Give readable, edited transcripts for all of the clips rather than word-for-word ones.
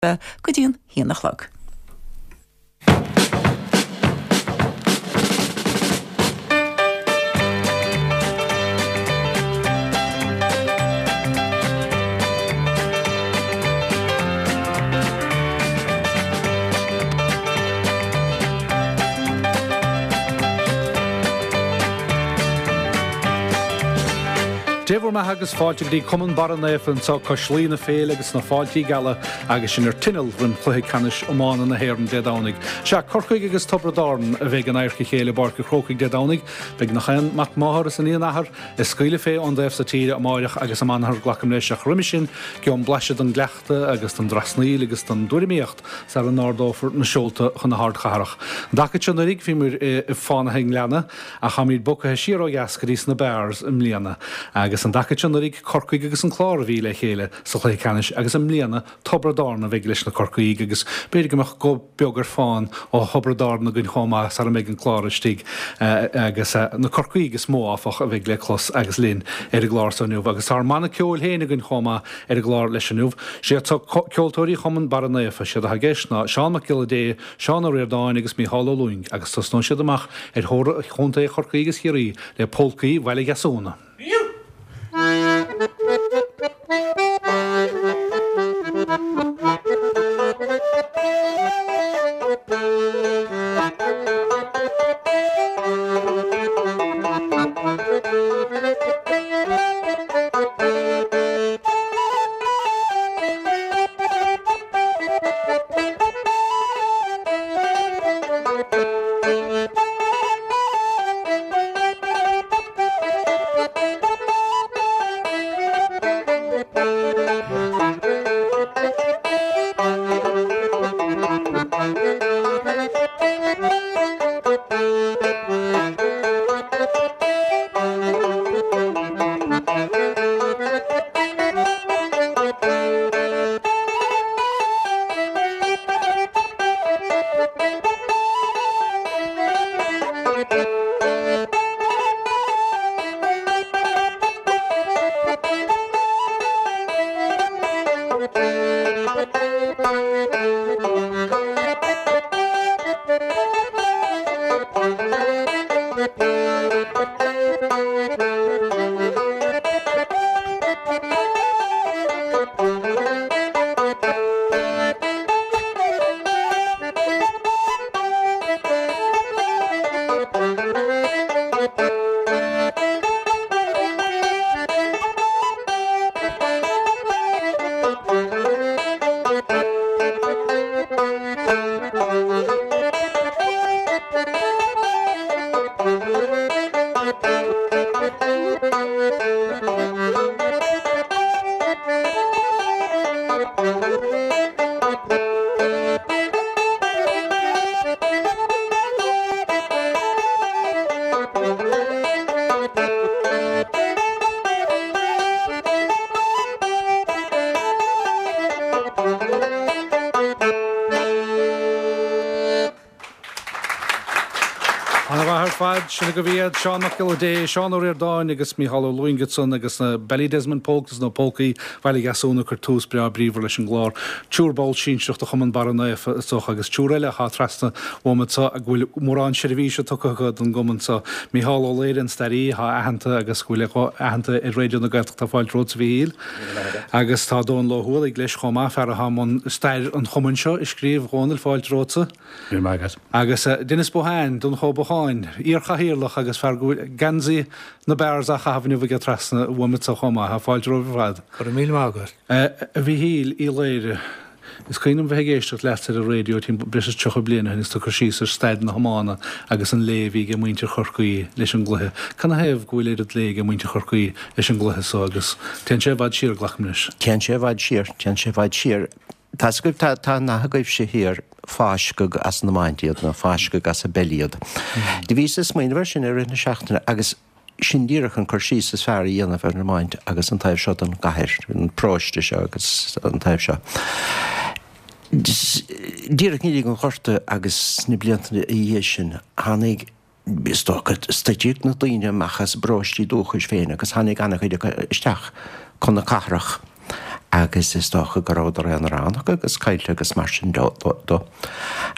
Go dtí an haon a chlog. Dé bhur mbeatha agus fáilte go dtí Cumann Barra Naofa anseo cois Laoi na féile agus na fáiltí geala agus sinn ar tinneall roim chluiche ceannais iomána na hÉireann Dé Domhnaigh. Sea, Corcaigh agus Tiobraid Árann a bheidh in adharca a chéile i bPáirc an Chrócaigh Dé Domhnaigh. Beidh nach aon mac máthar is iníon athar ag scaoileadh fé ón dtaobh so tíre amáireach agus amanathar, glacaim leis, ach roimhe sin gheobham blaiseadh den gcleachtadh agus den dtrasnaíl agus den dtuairimíocht sara n-ardófar na seolta chun na hardchathrach. An dtaca seo anuraidh bhíomar i bhFánaithe an Ghleanna ach táimid bogtha siar ó dheas go dtí sna Barrs i mbliana. Agus an dtaca seo anuraidh Corcaigh agus an Clár a bhí le chéile sa chluiche ceannais agus i mbliana Tiobraid Árann a bheidh leis na Corcaígh agus b'fhéidir go mbeadh guth beag ar fán ó Thiobraid Árann againn chomh maith sara mbeidh an Clár istigh agus na Corcaígh is mó áfach a bheidh le clos agus linn ar an gclár so inniu agus tá ár mbanna ceoil féin againn chomh maith ar an gclár leis inniu. Siad so ceoltóirí Chumann Barra Naofa. Siad atá i gceist ná Seán Mac Giolla Dé, Seán Ó Ríordáin agus Mícheál Ó Lúing agus tosnóidh siad amach ar thóir Chontae Chorcaí agus Chiarraí le Pólcaí Bhaile Dheasúna. Ana-mhaith ar fad, sin agaibh iad, Seán Mac Giolla Dé, Seán Ó Ríordáin agus Mícheál Ó Lúing ansan agus na Ballydesmond Polkas nó Pócaí Bhaile Dheasúna ag cur tús breá bríomhar leis an gclár. Triúr ball sinsearach de Chumann Barra Naofa is dócha agus triúr eile atá trasna uaim anso go bhfuil mórán seirbhíse tugtha acu don gcumann so. Mícheál Ó Laoire, an staraí, atá aitheanta agus go bhfuil a ghuth aitheanta ar Raidió na Gaeltachta, fáilte romhat a Mhíchíl. Agus tá Dónal Ó hUallaigh leis chomh maith, fear atá i mbun stair an chumainn seo a scríobh. A Dhónaill, fáilte romhatsa. Go raibh maith agat. Agus Denis Bohane, Donncha Ó Bocháin, iar-chathaoirleach agus fear go bhfuil geansaí na Barrs á chaitheamh inniu aige trasna uaim anso chomh maith. Fáilte romhaibh ar fad. Go raibh míle maith agat. A Mhíchíl Uí Laoire, is cuimhin liom bheith ag éisteacht leatsa ar an raidió timpeall breis is 30 bliain ó shin agus tú ag cur síos ar staid na hiomána agus an lé a bhí ag muintir Chorcaí leis an gcluiche. Canathaobh go bhfuil oiread lé ag muintir Chorcaí leis an gcluiche so agus téann sé i bhfad siar, glacaim leis. Téann sé i bhfad siar, téann sé i bhfad siar. Tá's agaibh, tá, tá an nath agaibhse thiar, fáisceadh as an iomáint iad, nó fáisceadh as an bpeil iad. Do bhíos ag smaoineamh air sin i rith na seachtaine agus sin díreach an cur síos is fearr a dhéanamh ar an iomáint agus an taobh seo den gcathair, an paróiste seo agus an taobh seo. Díreach i ndiaidh an Ghorta agus sna blianta ina dhiaidh sin, tháinig, is dócha, stoiteadh na daoine amach as a bparóistí dúchais féin agus tháinig an-chuid acu isteach chun na cathrach. Agus is dócha go rabhadar aonaránach agus caillte agus mar sin de.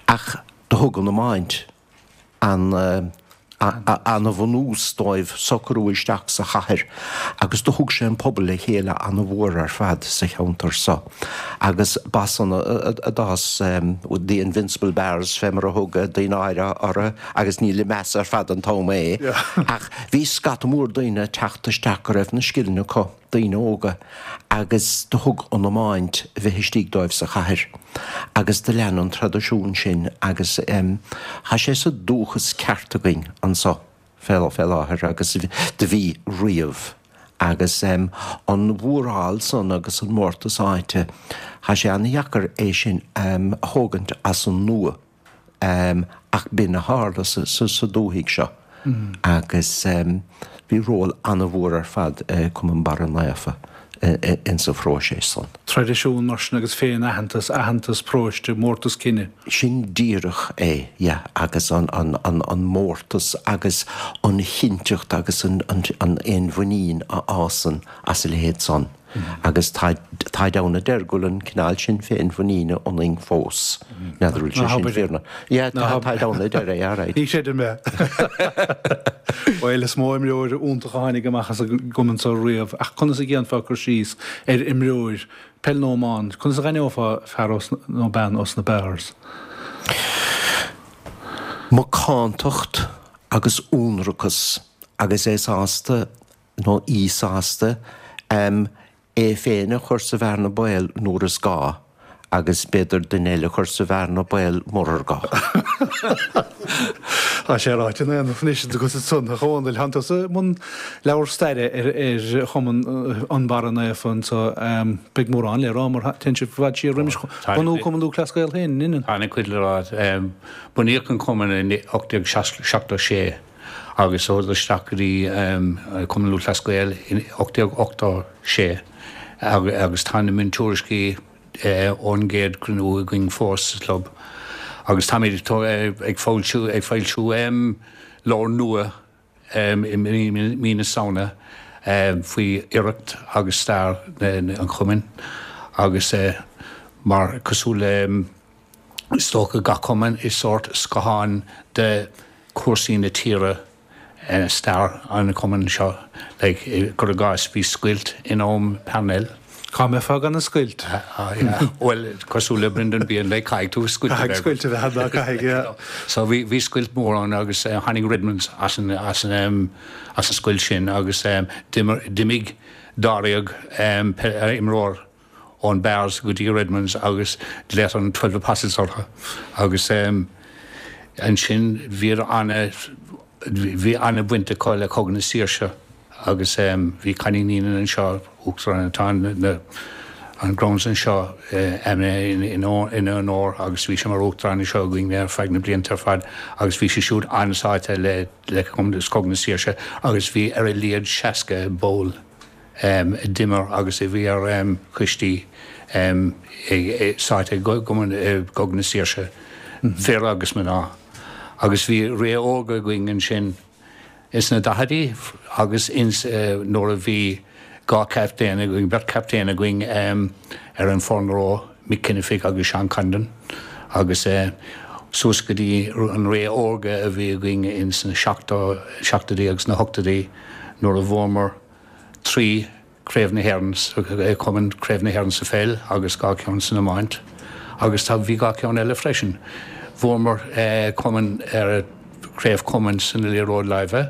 Ach do thug an iomáint an ana-bhunús dóibh socrú isteach sa chathair agus do thug sé an pobal le chéile ana-mhór ar fad sa cheantar so agus b'as san a d'fhás The Invincible Barrs fé mar a thug daoine áirithe orthu agus ní le meas ar fad an t-am é ach bhí scata mór daoine ag teacht isteach go raibh na scileanna acu. daoine óga agus do thug an iomáint a bheith istigh dóibh sa chathair agus do lean an traidisiún sin agus tá sé sa dúchas ceart againn anso fé láthair agus do bhí riamh agus an mhóráil san agus an mórtas áite tá sé ana-dheacair é sin a thógaint as an nua. Ach b'in a tharla sa dúthaigh seo agus bhí ról an-mhór ar fad ag Cumann Barra Naofa insa phróiseas san. Traidisiún mar sin agus féin-aitheantas, aitheantas paróiste, mórtas cine. Sin díreach é, yeah, agus an mórtas agus an chinnteacht agus an fhéinmhuinín a fhásann as a leithéid san. Agus táid ann a deir go bhfuil an cineál sin féinmhuiníne ionainn fós. N'fheadar bhfuil sé sin fíor nó. Yeah, táid ann a deir é, alright. Ní chreidim é. Bhuel, is mó imreoir iontach a tháinig amach as an gcumann seo riamh, ach conas a dhéanfá cur síos ar imreoir, peil nó iomáint, conas a dh'aithneofá fear ós, nó bean ós na Barrs? Macántacht agus ionracas agus é sásta nó í sásta é féin a chur sa bhearna baoil nuair is gá agus b'fhéidir duine eile a chur sa bhearna baoil murar gá. Tá sé ráite in aon anois agus ansan, a Dhónaill, tánn tusa i mbun leabhar staire ar Chumann an Barra Naofa anso. Beidh mórán le rá mar téann sibh i bhfad siar roimis bhunú Cumann Lúthchleas Gael féin, an ionann? Tá an-chuid le rá. Bunaíodh an cumann in 1876. agus chuadar isteach go dtí Cumann Lúthchleas Gael in 1886 agus tá na miontuairiscí ón gcéad chruinniú againn fós sa chlub agus táimid ag foilsiú ag foilsiú leabhar nua i mí na Samhna faoi oidhreacht agus stair an chumainn agus mar cosúil le Is dócha gach cumann is sórt scáthán de chúrsaí na tíre stair an chumainn seo. Like, cuir i gcás, bhí scoilt in am Parnell. Cá mbeifeá gan an scoilt? Yeah, bhuel, cosúil le Brendan Behan, like, caithfidh tú scoilt a bheith. Caithfidh scoilt a bheith ann, caithfidh, yeah. So bhí, bhí scoilt mór ann agus tháinig Redmonds as an, as an, as an scoilt sin agus d'imir, d'imigh dáréag imreoir ón Barrs go dtí Redmonds agus glaodh an 12 Apostles orthu agus ansin bhíodar ana, bhí ana bhaint acu le Cogadh na Saoirse agus bhí Connie Neenan anseo, Uachtarán atá na an grounds anseo ina onóir agus bhí sé mar Uachtarán anseo againn ar feadh na blianta ar fad agus bhí sé siúd an-sáite le le Cogadh na Saoirse agus bhí ar a laghad 60 ball a d'imir agus a bhí ar choistí sáite i gCogadh na Saoirse, fir agus mná. Agus bhí ré órga againn ansin ins na daichidí agus ins nuair a bhí dhá chaptaen againn, beirt chaptaen againn ar an foireann ró, Mick Kinnefick agus Seán Condon agus suas go dtí an ré órga a bhí againn ins na seachtóidí agus na hochtóidí nuair a bhuamar 3 Craobh na hÉireann sa Cumann, Craobh na hÉireann sa pheil agus 2 ceann san iomáint agus tá, bhí 2 ceann eile freisin. Bhuamar Cumann ar Craobh Cumainn san liathróid láimhe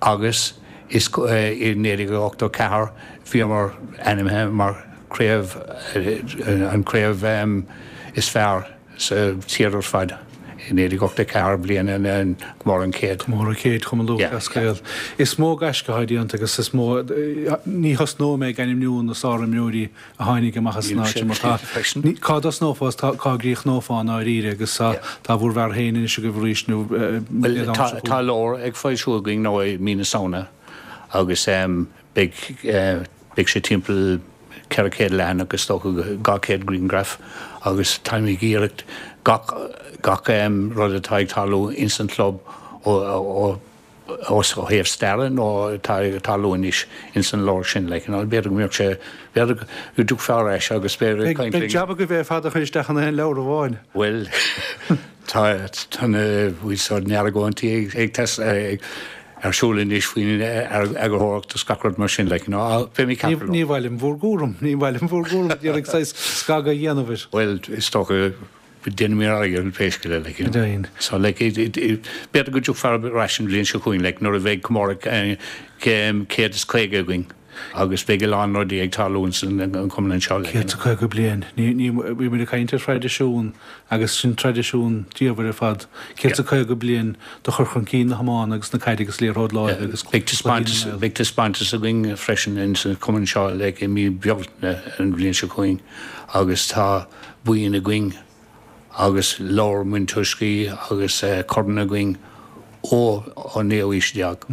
agus is i 1984 bhíomar ainmnithe mar Craobh, an craobh is fearr. sa tír ar fad i 1984, bliain an comóradh an chéid. Comóradh céid Chumann Lúthchleas Gael. Is mó gaisce atá déanta agus is mó, ní thosnóidh mé ag ainmniú na sárimreoirí a tháinig amach as an áit seo mar tá, cá dtosnófá is cá gcríochnófá i ndáiríre agus tá bhur bhfear féin anois agaibh arís nó Bhuel tá leabhar ag foilsiú againn nó i mí na Samhna agus beidh Beidh sé timpeall 400 leathanach is dócha, 200 grianghraf agus táim ag iarraidh gach gach rud atá ag tarlú ins an chlub ó ó. Ó thaobh staire nó atá ag tarlú anois ins an leabhar sin, like, you know, b'fhéidir go mbeadh sé, b'fhéidir go dtiocfá ar ais agus b'fhéidir ag caint linn. Beidh jab agaibh é ar fad a chur isteach in aon leabhar amháin. Bhuel, tá, tá na, bhfuil sort na argóintí ag, ag tes, ag, ar siúl anois faoin eagarthóireacht is gach rud mar sin, like, you know, beidh mé ceart go leor. Ní mhaith liom bhur gcúram, ní mhaith liom bhur gcúram d'iarraidh saghas scagadh a dhéanamh air. Bhuel, is dócha Déanfaidh mé ar aghaidh ar pé scéal é, like, you know. So, like, b'fhéidir go dtiocfar ar ais an bhliain seo chugainn, like, nuair a bheidh comóradh 150 againn agus beidh a lán rudaí ag tarlú ins an chumann anseo, like, you know. 150 bliain. Ní, ní, bhí muid ag caint ar thraidisiún agus sin traidisiún diamhair ar fad. 150 bliain de chur chun cinn na hiomána agus na caide agus liathróid láimhe agus Beidh taispeántas, beidh taispeántas againn freisin ins an chumann seo, like, i mí Bealtaine an bhliain seo chugainn agus tá buíon againn agus leabhar miontuairiscí agus corn againn ó an naoú haois déag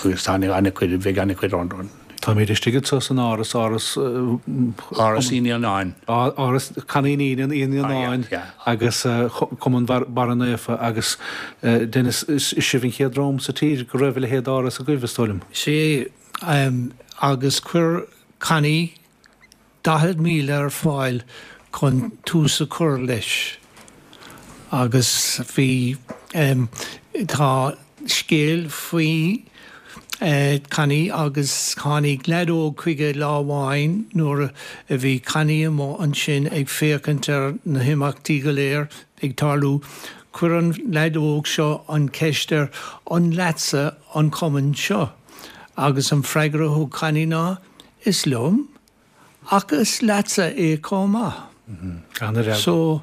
agus tá an-chuid, bheidh an-chuid ann. Táimid istigh anso san áras, áras. Áras Uí Naonáin. Áras Connie Uí Naonáin agus Cumann Barra Naofa agus Denis, is sibh an chéad dream sa tír go raibh a leithéid d'áras agaibh, is dóigh liom. Sea, agus chuir Connie 40,000 ar fáil chun tús a chur leis agus bhí, tá scéal faoi Connie agus tháinig leaid óg chuige lá amháin nuair a bhí Connie amuigh ansin ag féachaint ar na himeachtaí go léir ag tarlú. Chuir an leaid óg seo an cheist air 'An leatsa an cumann seo? Agus an freagra a thug Connie ná 'Is liom, ach is leatsa é chomh maith. So,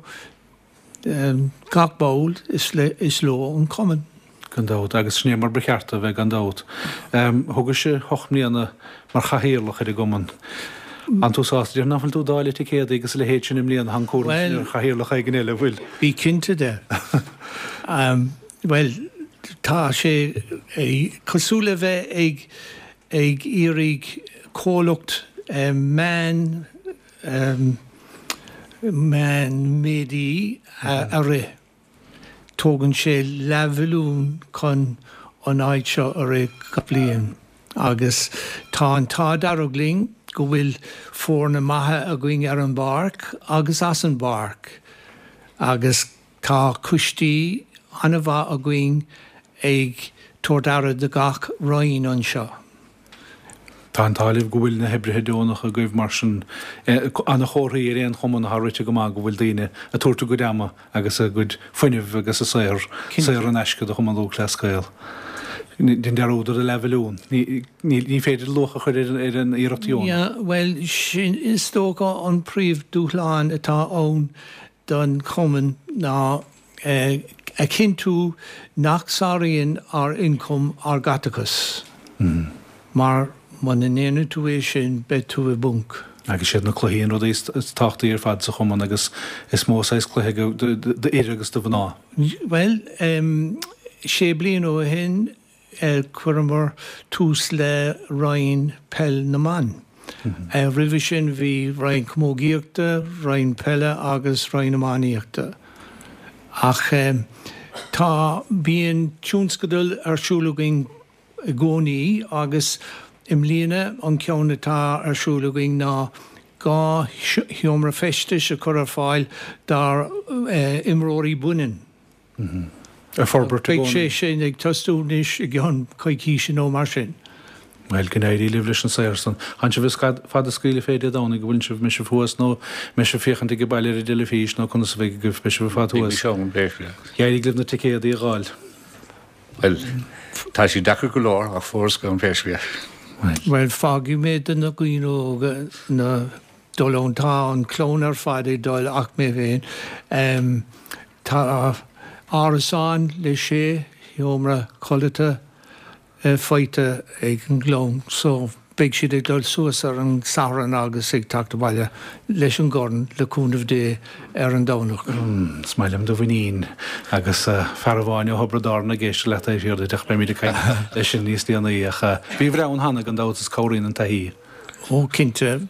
gach ball, is leo an cumann. Gan dabht, agus sin é mar ba cheart a bheith, gan dabht. Thugais hocht mbliana mar chathaoirleach ar an gcumann. An tú sásta? Déarfainn nach bhfuil tú ag dáileadh ticéadaí agus a leithéid sin i mbliana, tá an cúram sin ar chathaoirleach éigin eile, an bhfuil? Bí cinnte de. Bhuel, tá sé cosúil le bheith ag ag iarraidh comhlacht meán meánmhéide a rith. Tógann sé leathmhilliún chun an áit seo a rith gach bliain agus tá an t-ádh dearg linn go bhfuil foirne maithe againn ar an bpáirc agus as an bpáirc agus Tá coistí an-mhaith againn ag tabhairt aire do gach roinn anseo. Tá an t-ádh libh go bhfuil na hoibrithe deonacha agaibh mar sin. Ana-chomharthaí ar aon chumann atá rite go maith go bhfuil daoine ag tabhairt a gcuid ama agus a gcuid fuinnimh agus a saothar saor in aisce do Chumann Lúthchleas Gael. Déan dearúd ar an leathmhilliún. Ní féidir luach a chur ar an iarracht dheonach. Bhuel, sin is dócha an príomhdhúshlán atá ann don chumann ná a chinntiú nach sáraíonn ár ioncam ár gcaiteachas, mar muna ndéanann tú é sin beidh tú i bponc. Agus siad na cluichí an rud is tábhachtaí ar fad sa chumann agus is mó saghas cluiche d'fhir agus do mhná. Bhuel, sé bliana ó shin Chuireamar tús le Roinn Peil na mBan. Roimhe sin bhí Roinn Camógaíochta, Roinn Peile agus Roinn Iománaíochta. Ach tá, bíonn tionscadail ar siúl againn i gcónaí agus i mbliana an ceann atá ar siúl againn ná 2 sheomra feistis a chur ar fáil dár imreoirí baineann. Ag forbairt i gcónaí. Beidh sé sin ag tosú anois i gceann coicíse nó mar sin. Bhuel, go n-éirí libh leis an saothar san. Tánn sibh ag fad ag scaoileadh fé Dé Domhnaigh, an bhfuil sibh, mbeidh sibh thuas nó mbeidh sibh féachaint ag baile ar an dteilifís nó conas a bheidh agaibh, beidh sibh ar fad thuas. D'éirigh libh na ticéadaí a dh'fháil. Bhuel, tá sé deacair go leor ach fuaireas gan pé scéal. Bhuel, fágfaidh mé do na daoine óga na dul ann. Tá an chlann ar fad ag dul ach mé féin. Tá árasán le sé sheomra codlata faighte ag an gclann so beidh siad ag dul suas ar an Satharn agus ag teacht abhaile leis an gcorn, le cúnamh Dé, ar an Domhnach. Is maith liom do mhuinín agus fear amháin ó Thiobraid Árann ag éisteacht leat taobh thiar duit ach beimid ag caint leis sin níos déanaí ach bhíobhair ann cheana gan dabht is cabhraíonn an taithí. Ó, cinnte.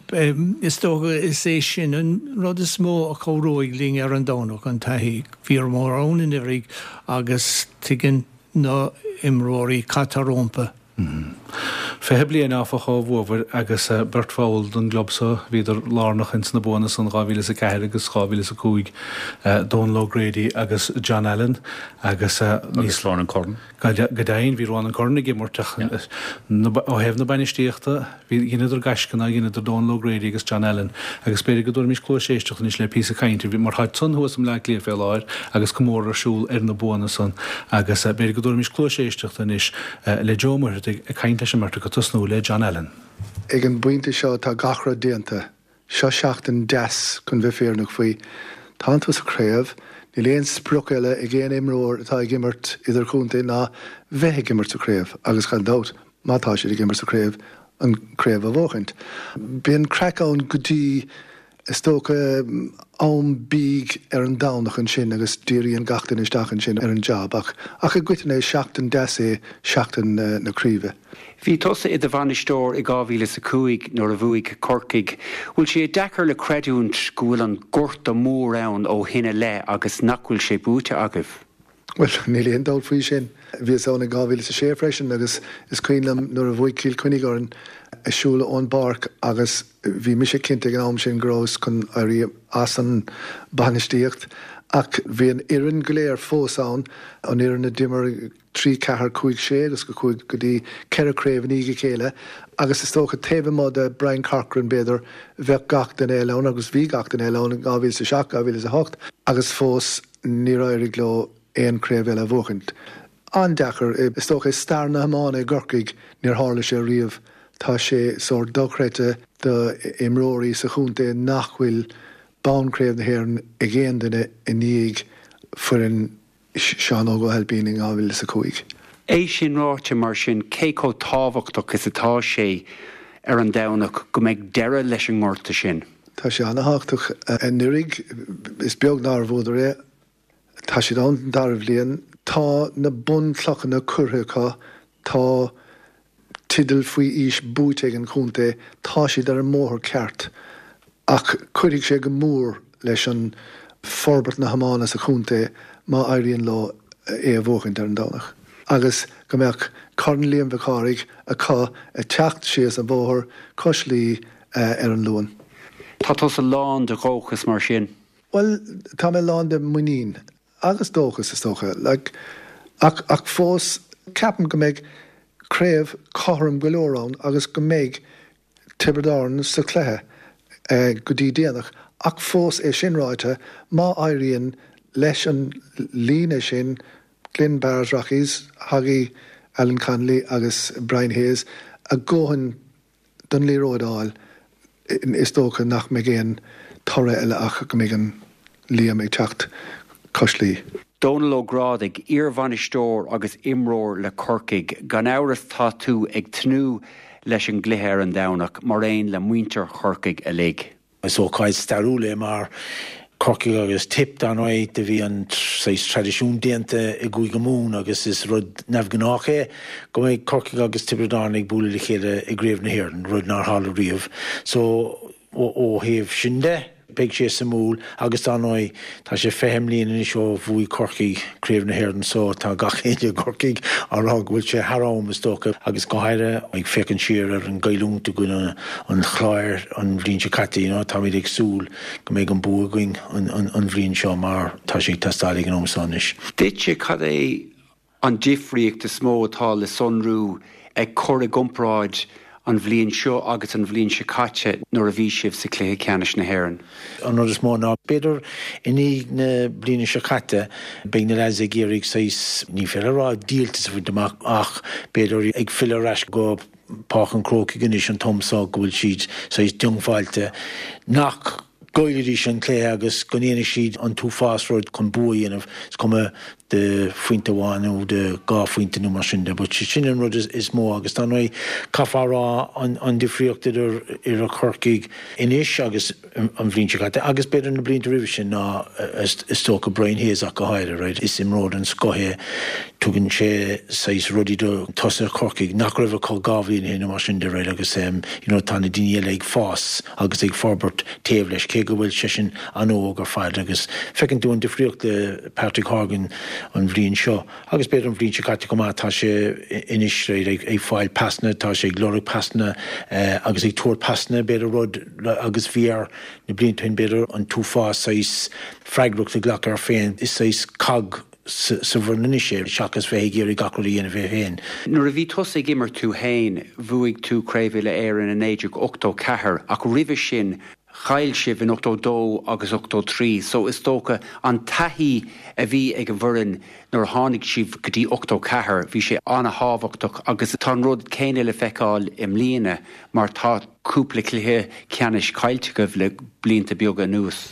Is dócha is é sin an rud is mó a chabhróidh linn ar an Domhnach, an taithí. Bhíomar ann anuraidh agus tuigeann. na h-imreoirí caite rómpa. 20 bliain áfach ó bhuabhair agus beirt bhall den gclub so, bhíodar lárnach ins na buanna san 2004 agus 2005, Dónal O'Grady agus John Allen agus Agus Ronan Curran. Go deimhin, bhí Ronan Curran ag imirt ach ó thaobh na bainistíochta, bhí, dheineadar gaisce nár dheineadar Dónal O'Grady agus John Allen agus b'fhéidir go dtabharfaimis cluas éisteachta anois le píosa cainte, mar táid san thuas i mBleá Cliath fé láthair agus comóradh ar siúl ar na buanna san agus b'fhéidir go dtabharfaimis cluas éisteachta anois le Joe Ó Muircheartaigh ag caint leis an mbeirt acu, tosnú le John Allen. Ag an bpointe seo tá gach rud déanta. Seo seachtain deas chun bheith fírinneach faoi. Tánn tú sa chraobh, níl aon sprioc eile ag aon imreoir atá ag imirt idirchontae ná bheith ag imirt sa chraobh agus gan dabht má tá siad ag imirt sa chraobh, an craobh a bhuachaint. Bíonn craic ann go dtí, is dócha, am bídh ar an Domhnach ansin agus díríonn gach duine isteach ansin ar an jab ach ach i gcoitinne is seachtain deas é seachtain na craoibhe. Bhí tusa i do bhainisteoir i 2005 nuair a bhuaigh Corcaigh. Bhfuil sé deacair le creidiúint go bhfuil an gorta mór ann ó shin i leith agus nach bhfuil sé buaite agaibh? Bhuel, níl aon dabht faoi sin. Bhíos ann in 2006 freisin agus is cuimhin liom nuair a bhuaigh Cill Chainnigh orainn ag siúl ón bpáirc agus bhí mise cinnte ag an am sin go rabhas chun éirí as an bainistíocht ach bhí an fhoireann go léir fós ann, an fhoireann a d'imir 3, 4, 5, 6 agus go chuaigh go dtí ceithre craobh i ndiaidh a chéile agus is dócha taobh amuigh de Brian Corcoran b'fhéidir bheadh gach duine eile ann agus bhí gach duine eile ann in 2007, 2008 agus fós níor éirigh leo aon chraobh eile a bhuachaint. An-deacair. Is dócha i stair na hiomána i gCorcaigh níor tharla sé riamh. Tá sé sórt dochreidte do imreoirí sa chontae nach bhfuil bonn Craobh na hÉireann ag aon duine i ndiaidh foireann Seán Óg Ó hAilpín in 2005. É sin ráite, mar sin, cé chomh tábhachtach is atá sé ar an Domhnach go mbeidh deireadh leis an ngorta sin? Tá sé an-thábhachtach. Anuraidh, is beag nár bhuadar é. Tá siad ann don dara bhliain. Tá na bunchlocha curtha acu. Tá teideal faoi aois buaite ag an chontae, tá siad ar an mbóthar ceart ach cuirfidh sé go mór leis an forbairt na hiomána sa chontae má éiríonn leo é a bhuachaint ar an Domhnach agus go mbeadh Corn Liam Mhic Cárthaigh acu ag teacht síos an bhóthar cois Laoi ar an Luan. Tá tusa lán de dhóchas mar sin? Bhuel, tá mé lán de mhuinín. Agus dóchas, is dócha. Like, ach, ach fós, ceapaim go mbeidh craobh cothrom go leor ann agus go mbeidh Tiobraid Árann sa chluiche go dtí déanach. Ach fós, é sin ráite, má éiríonn leis an líne sin, Glynn Barrs Rockies, Hoggy, Alan Connolly agus Brian Hayes, a ndóthain don liathróid a fháil, is dócha nach mbeidh aon toradh eile ach go mbeidh an Liam ag teacht cois Laoi. Dónal Ó Grádaigh, iarbhainisteoir agus imreoir le Corcaigh, gan amhras tá tú ag tnúth leis an gcluiche ar an Domhnach, mar aon le muintir Chorcaigh uilig. Is ócáid stairiúil é mar Corcaigh agus Tipp, dar ndóigh, do bhí an saghas traidisiún déanta i gCúige Mumhan agus is rud neamhghnách é go mbeidh Corcaigh agus Tiobraid Árann ag bualadh le chéile i gCraobh na hÉireann, rud nár tharla riamh. So, ó thaobh sin de, beidh sé suimiúil agus dar ndóigh, tá sé 20 mbliain anois ó bhuaigh Corcaigh Craobh na hÉireann so tá gach éinne i gCorcaigh á rá go bhfuil sé thar am, is dócha, agus go háirithe ag féachaint siar ar an gcailliúint i gcoinne an Chláir an bhliain seo caite, you know, táimid ag súil go mbeidh an bua againn an bhliain seo mar tá sé ag teastáil ag an am seo anois. Duitse, cad é an difríocht is mó atá le sonrú ag cur i gcomparáid an bhliain seo agus an bhliain seo caite nuair a bhí sibh sa chluiche ceannais na hÉireann? An rud is mó ná, b'fhéidir i ndiaidh na bliana seo caite, beidh na leaids ag iarraidh saghas, ní féidir a rá díoltas a bhaint amach ach b'fhéidir ag filleadh ar ais go Páirc an Chrócaigh anois an t-am so go bhfuil siad saghas diongbháilte nach gcaillfidís an cluiche agus go ndéanfaidh siad an t-uafás rud chun bua a dhéanamh, is cuma de phointe amháin nó de dhá phointe nó mar sin de. But sin an rud is mó agus dar ndóigh caithfear a rá an difríocht idir idir Corcaigh anois agus an bhliain seo caite agus b'fhéidir na blianta roimhe sin ná is dócha Brian Hayes ach go háirithe, right? Is imreoir den scoth é, tugann sé saghas rudaí do tosaithe Chorcaigh nach raibh acu dhá bhliain ó shin nó mar sin de, right? Agus you know tá na daoine eile ag fás agus ag forbairt taobh leis. cé go bhfuil seisean an-óg ar fad agus feiceann tú an difríocht le Patrick Horgan an bhliain seo agus b'fhéidir an bhliain seo caite chomh maith, tá sé anois right ag fáil pasanna, tá sé ag lorg pasanna agus ag tabhairt pasanna b'fhéidir rud agus bhí air na blianta ó shin b'fhéidir an t-uafás saghas freagracht a ghlacadh air féin, is saghas cog sa bhfoireann anois é seachas bheith ag iarraidh gach rud a dhéanamh é féin. Nuair a bhí tusa ag imirt tú féin, bhuaigh tú Craobh Uile-Éireann i 1984 ach roimhe sin chaill sibh in 82 agus 83 so is dócha an taithí a bhí ag an bhfoireann nuair a tháinig sibh go dtí 84 bhí sé an-thábhachtach agus tá an rud céanna le feiceáil i mbliana mar tá cúpla cluiche ceannais caillte agaibh le blianta beaga anuas.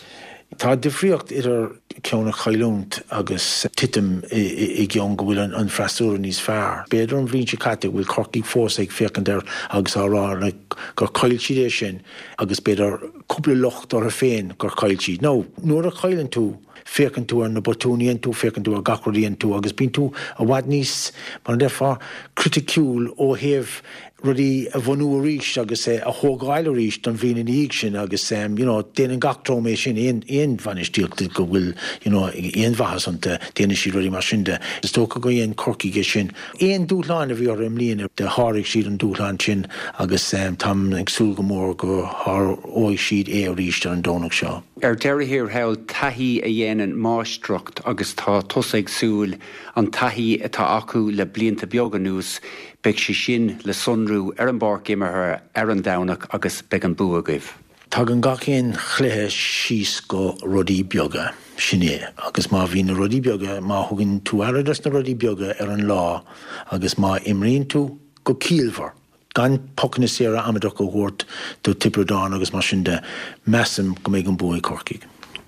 Tá difríocht idir ceann a chailliúint agus titim i gceann go bhfuil an freasúra níos fearr. B'fhéidir an bhliain seo caite go bhfuil Corcaigh fós ag féachaint air agus á rá gur chaill siad é sin agus b'fhéidir cúpla locht orthu féin gur chaill siad. Now, nuair a chailleann tú, féachann tú ar na botúin a dhein tú, féachann tú ar gach rud a dhein tú agus bíonn tú i bhfad níos, mar a déarfá, criticiúil ó thaobh rudaí a bhunú arís agus a thógáil arís don bhliain ina dhiaidh sin agus you know déanann gach dream é sin, aon aon bhainistíocht go bhfuil you know aon mhaitheas iontu, déanann siad rudaí mar sin de. Is dócha gur dhein Corcaigh é sin. Aon dúshlán a bhí orthu i mbliana do sháraigh siad an dúshlán sin agus táim ag súil go mór go sháróidh siad é arís ar an Domhnach seo. Ar deireadh thiar thall, taithí a dhéanann máistreacht agus tá tusa ag súil an taithí atá acu le blianta beaga anuas, beidh sé sin le sonrú ar an bpáirc imeartha ar an Domhnach agus beidh an bua agaibh. Tagann gach aon chluiche síos go rudaí beaga, sin é. Agus má bhíonn na rudaí beaga, má thugann tú aire dos na rudaí beaga ar an lá agus má imríonn tú go ciallmhar, gan pocanna saora amaideacha a thabhairt do Tiobraid Árann agus mar sin de, measaim go mbeidh an bua ag Corcaigh.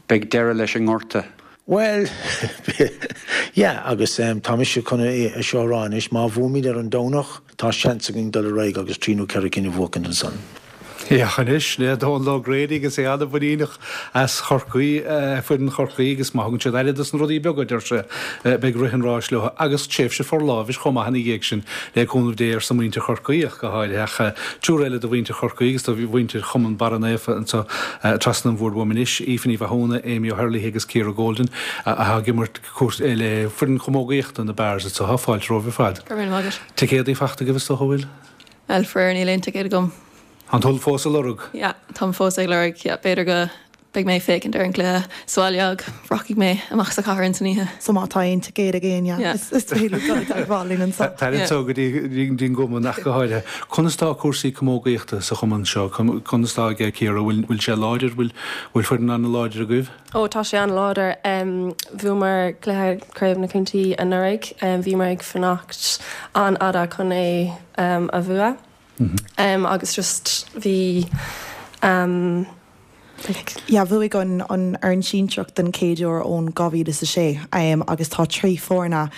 Beidh deireadh leis an ngorta. Bhuel, yeah, agus tá mise chun é seo a rá anois, má bhuaimid ar an Domhnach, tá seans againn dul ar aghaidh agus trí nó ceithre cinn a bhuachaint ansan. Féach anois le Dónal O'Grady agus é an-mhuiníneach as Chorcaí, foireann Chorcaí agus má thugann siad aire dos na rudaí beaga, a deir sé, beidh rith an ráis leo agus tréimhse forlámhais chomh maith ina dhiaidh sin, le cúnamh Dé arsa muintir Chorcaí ach go háirithe. Ach triúr eile de mhuintir Chorcaí agus de mhuintir Chumann Barra Naofa anseo trasna an bhoird uaim anois, Aoife Ní Mhathúna, Amy O'Herlihy agus Ciara Golden, atá ag imirt le foireann chamógaíochta na Barrs anseo. Tá fáilte romhaibh ar fad. Go raibh míle maith agat. Ticéadaí fachta agaibh is dócha, an bhfuil? Bhuel, faraor, níl aon ticéad agam. Tánn tú fós ag lorg? Yeah, táim fós ag lorg, yeah. B'fhéidir go beidh mé ag féachaint ar an gcluiche sa bhaile ach rachaidh mé amach sa chathair ins an oíche. So má tá aon ticéad ag éinne, is féidir dul i dteagmháil linn anseo. Tar anseo go dtí an gcumann ach go háirithe. Conas tá cúrsaí camógaíochta sa chumann seo? Conas tá aige Ciara? Bhfuil sé láidir? Bhfuil foireann an-láidir agaibh? Ó, tá sé an-láidir. Bhuamar cluiche Craobh na Contae anuraidh. Bhíomar ag fanacht an-fhada chun é a bhua. Agus just bhí like. Yeah, bhuaigh an an fhoireann sinsearach den chéad uair ón 2006 agus tá 3 foirne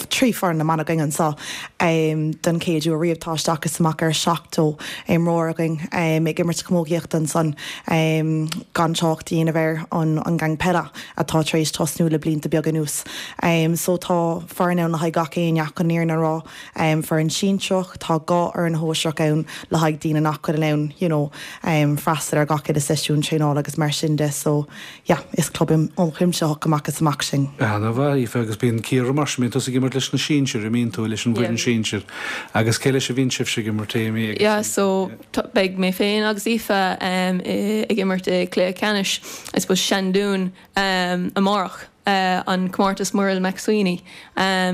3 foireann na mban againn anseo den chéad uair riamh. Tá isteach is amach ar 70 imreoir againn ag imirt camógaíochta ansan gan trácht a dhéanamh ar an gang peile atá tar éis tosnú le blianta beaga anuas. So tá foireann ann le haghaidh gach éinne ach an fhírinne a rá. Foireann sinsearach, tá dhá fhoireann shóisearach ann le haghaidh daoine nach bhfuil in ann you know freastal ar gach uile seisiún traenála agus mar sin de so yeah, is club ionchuimsitheach amach is amach sinn. Ana mhaith, Aoife, agus bíonn Ciara mar sin, bíonn tusa ag imirt leis na sinsir, an mbíonn tú, leis an bhfoireann sinsir. Agus cé leis a bhíonn sibhse ag imirt, Amy agus. Yeah, so beidh mé féin agus Aoife ag imirt i cluiche ceannais, I suppose, Seandún amárach, an comórtas Muriel McSweeney.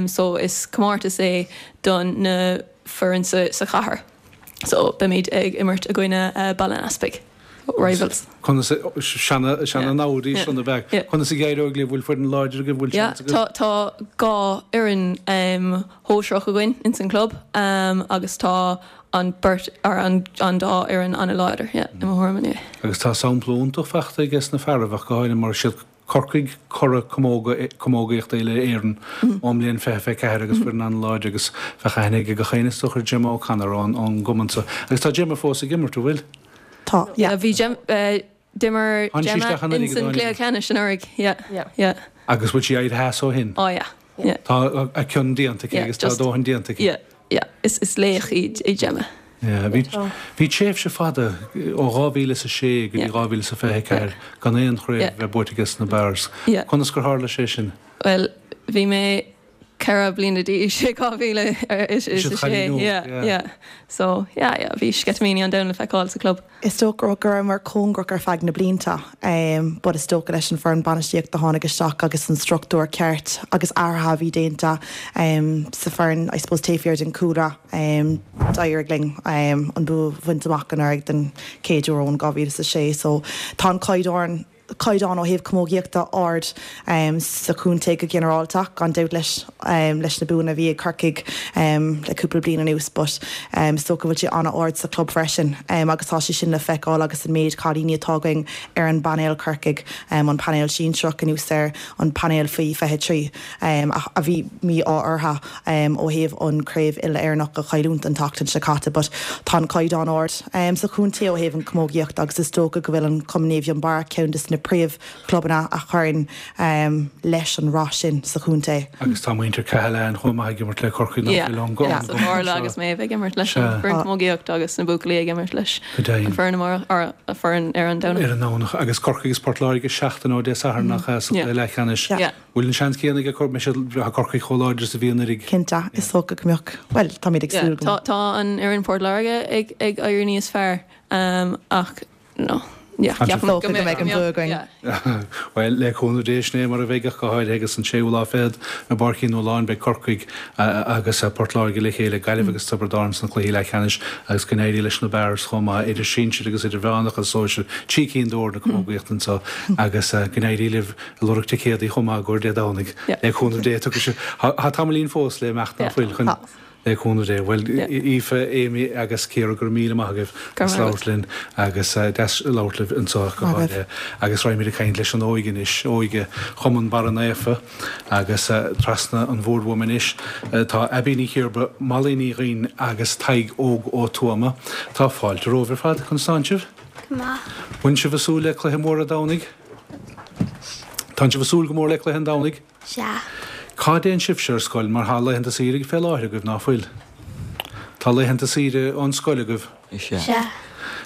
So is comórtas é don na foireann sa chathair. So beimid ag imirt i gcoinne Baile an Easpaig. Rivals. Conas, seana, seana namhaid í sin ab ea? Conas a d'éireoidh libh? Bhfuil foireann láidir agaibh? Bhfuil seans agaibh? Yeah, tá, tá dhá fhoireann shóisearach againn ins an club agus tá an beirt, or an, an dá fhoireann an-láidir, yeah, i mo thuairim anyway. Agus tá sampla iontach fachta aige sna fearaibh ach go háirithe mar siad Corcaigh curaidh camógaíochta uile-Éireann ón mbliain 2024 agus foireann an-láidir agus bheadh aithne ag gach éinne is dócha ar Gemma O'Connor ón gcumann so. Agus tá Gemma fós ag imirt, an bhfuil? Tá, yeah. Bhí Gem, d'imir Gemma ins an gcluiche ceannais anuraidh, yeah, yeah. Agus bhfuil sí éirithe as ó shin? Oh yeah, yeah. Tá a cion déanta aici agus tá a dóthain déanta aici. Yeah, yeah. Is laoch í Gemma. Yeah, bhí bhí tréimhse fada ó 2006 go dtí 2024 gan aon chraobh a bheith buaite aige na Barrs. Conas gur tharla sé sin? Bhuel, bhí mé 4 bliana d'aois i 2006. Yeah, yeah. So, yeah, yeah, bhí sceitimíní an domhain le feiceáil sa chlub. Is dócha go rabhamar cóngarach ar feadh na blianta but is dócha leis an foireann bainistíochta a tháinig isteach agus an struchtúr ceart agus athruithe a bhí déanta sa foireann I suppose taobh thiar den chúlra d'éirigh linn an bua a bhaint amach anuraidh den chéad uair ón 2006 so tá an caighdeán caighdeán ó thaobh camógaíochta ard sa chontae go ginearálta, gan dabht leis leis na buanna a bhí ag Corcaigh le cúpla bliain anuas but is dócha go bhfuil sé an-ard sa chlub freisin agus tá sé sin le feiceáil agus an méid cailíní atá againn ar an bpainéal Corcaigh, an painéal sinsearach anuas ar an painéal faoi 23. a bhí mí-ádh orthu ó thaobh an craobh uile-Éireannach a chailliúint an tseachtain seo caite but tá an caighdeán ard sa chontae ó thaobh an chamógaíocht agus is dócha go bhfuil an Cumann Naomh Fionnbarra ceann de na príomh chlubanna a chuireann leis an rath sin sa chontae. Agus tá muintir Cahalane chomh maith ag imirt le Corcaigh nach bhfuil ón Yeah, so Orla agus Méabh ag imirt leis an bhfoireann camógaíocht agus na buachaillí ag imirt leis an foireann amárach, or an foireann ar an Domhnach. Ar an Domhnach. Agus Corcaigh agus Port Láirge seachtain ó Dé Sathairn nach ea sa chluiche leathcheannais. Bhfuil an seans céanna ag Corcaigh, mbeidh siad, tá Corcaigh chomh láidir is a bhí anuraidh? Cinnte, is dócha go mbeadh, bhuel, táimid ag súil go. Tá, tá an fhoireann Port Láirge ag, ag éirí níos fearr, ach, no, yeah, ceapaim go mbeidh, go mbeidh an bua againn. Yeah. Bhuel, le cúnamh Dé, sin é mar a bheidh ach go háirithe agus an séú lá fichead i bPáirc Uí Nualláin beidh Corcaigh agus Port Láirge le chéile, Gaillimh agus Tiobraid Árann sna cluichí leathcheannais agus go n-éirí leis na Barrs chomh maith, idir sinsir agus idirmheánach agus sóisir, trí cinn d'fhoirne camógaíochta anseo agus go n-éirí libh. Ag lorg ticéadaí chomh maith i gcomhair Dé Domhnaigh. Le cúnamh Dé tiocfaidh sibh. Tá tamaillín fós le imeacht ná fuil chun le cúnamh Dé. Bhuel, Aoife, Amy agus Ciara, go raibh míle maith agaibh as labhairt linn agus deas labhairt libh anseo go háirithe. Agus raghaimid ag caint leis an óige anois, óige Chumann Barra Naofa agus trasna an bhoird uaim anois tá Abbie Ní Chiarba, Molly Ní Dhuinn agus Tadhg Óg Ó Tuama. Tá fáilte romhaibh ar fad. Conas tánn sibh? Go maith. Bhfuil sibh ag súil le cluiche mór an Domhnaigh? Tánn sibh ag súil go mór le cluiche an Domhnaigh? Sea. Cá dtéann sibhse ar scoil mar tá laethanta saoire fé láthair agaibh, ná fuil? Tá laethanta saoire ón scoil agaibh? Sea.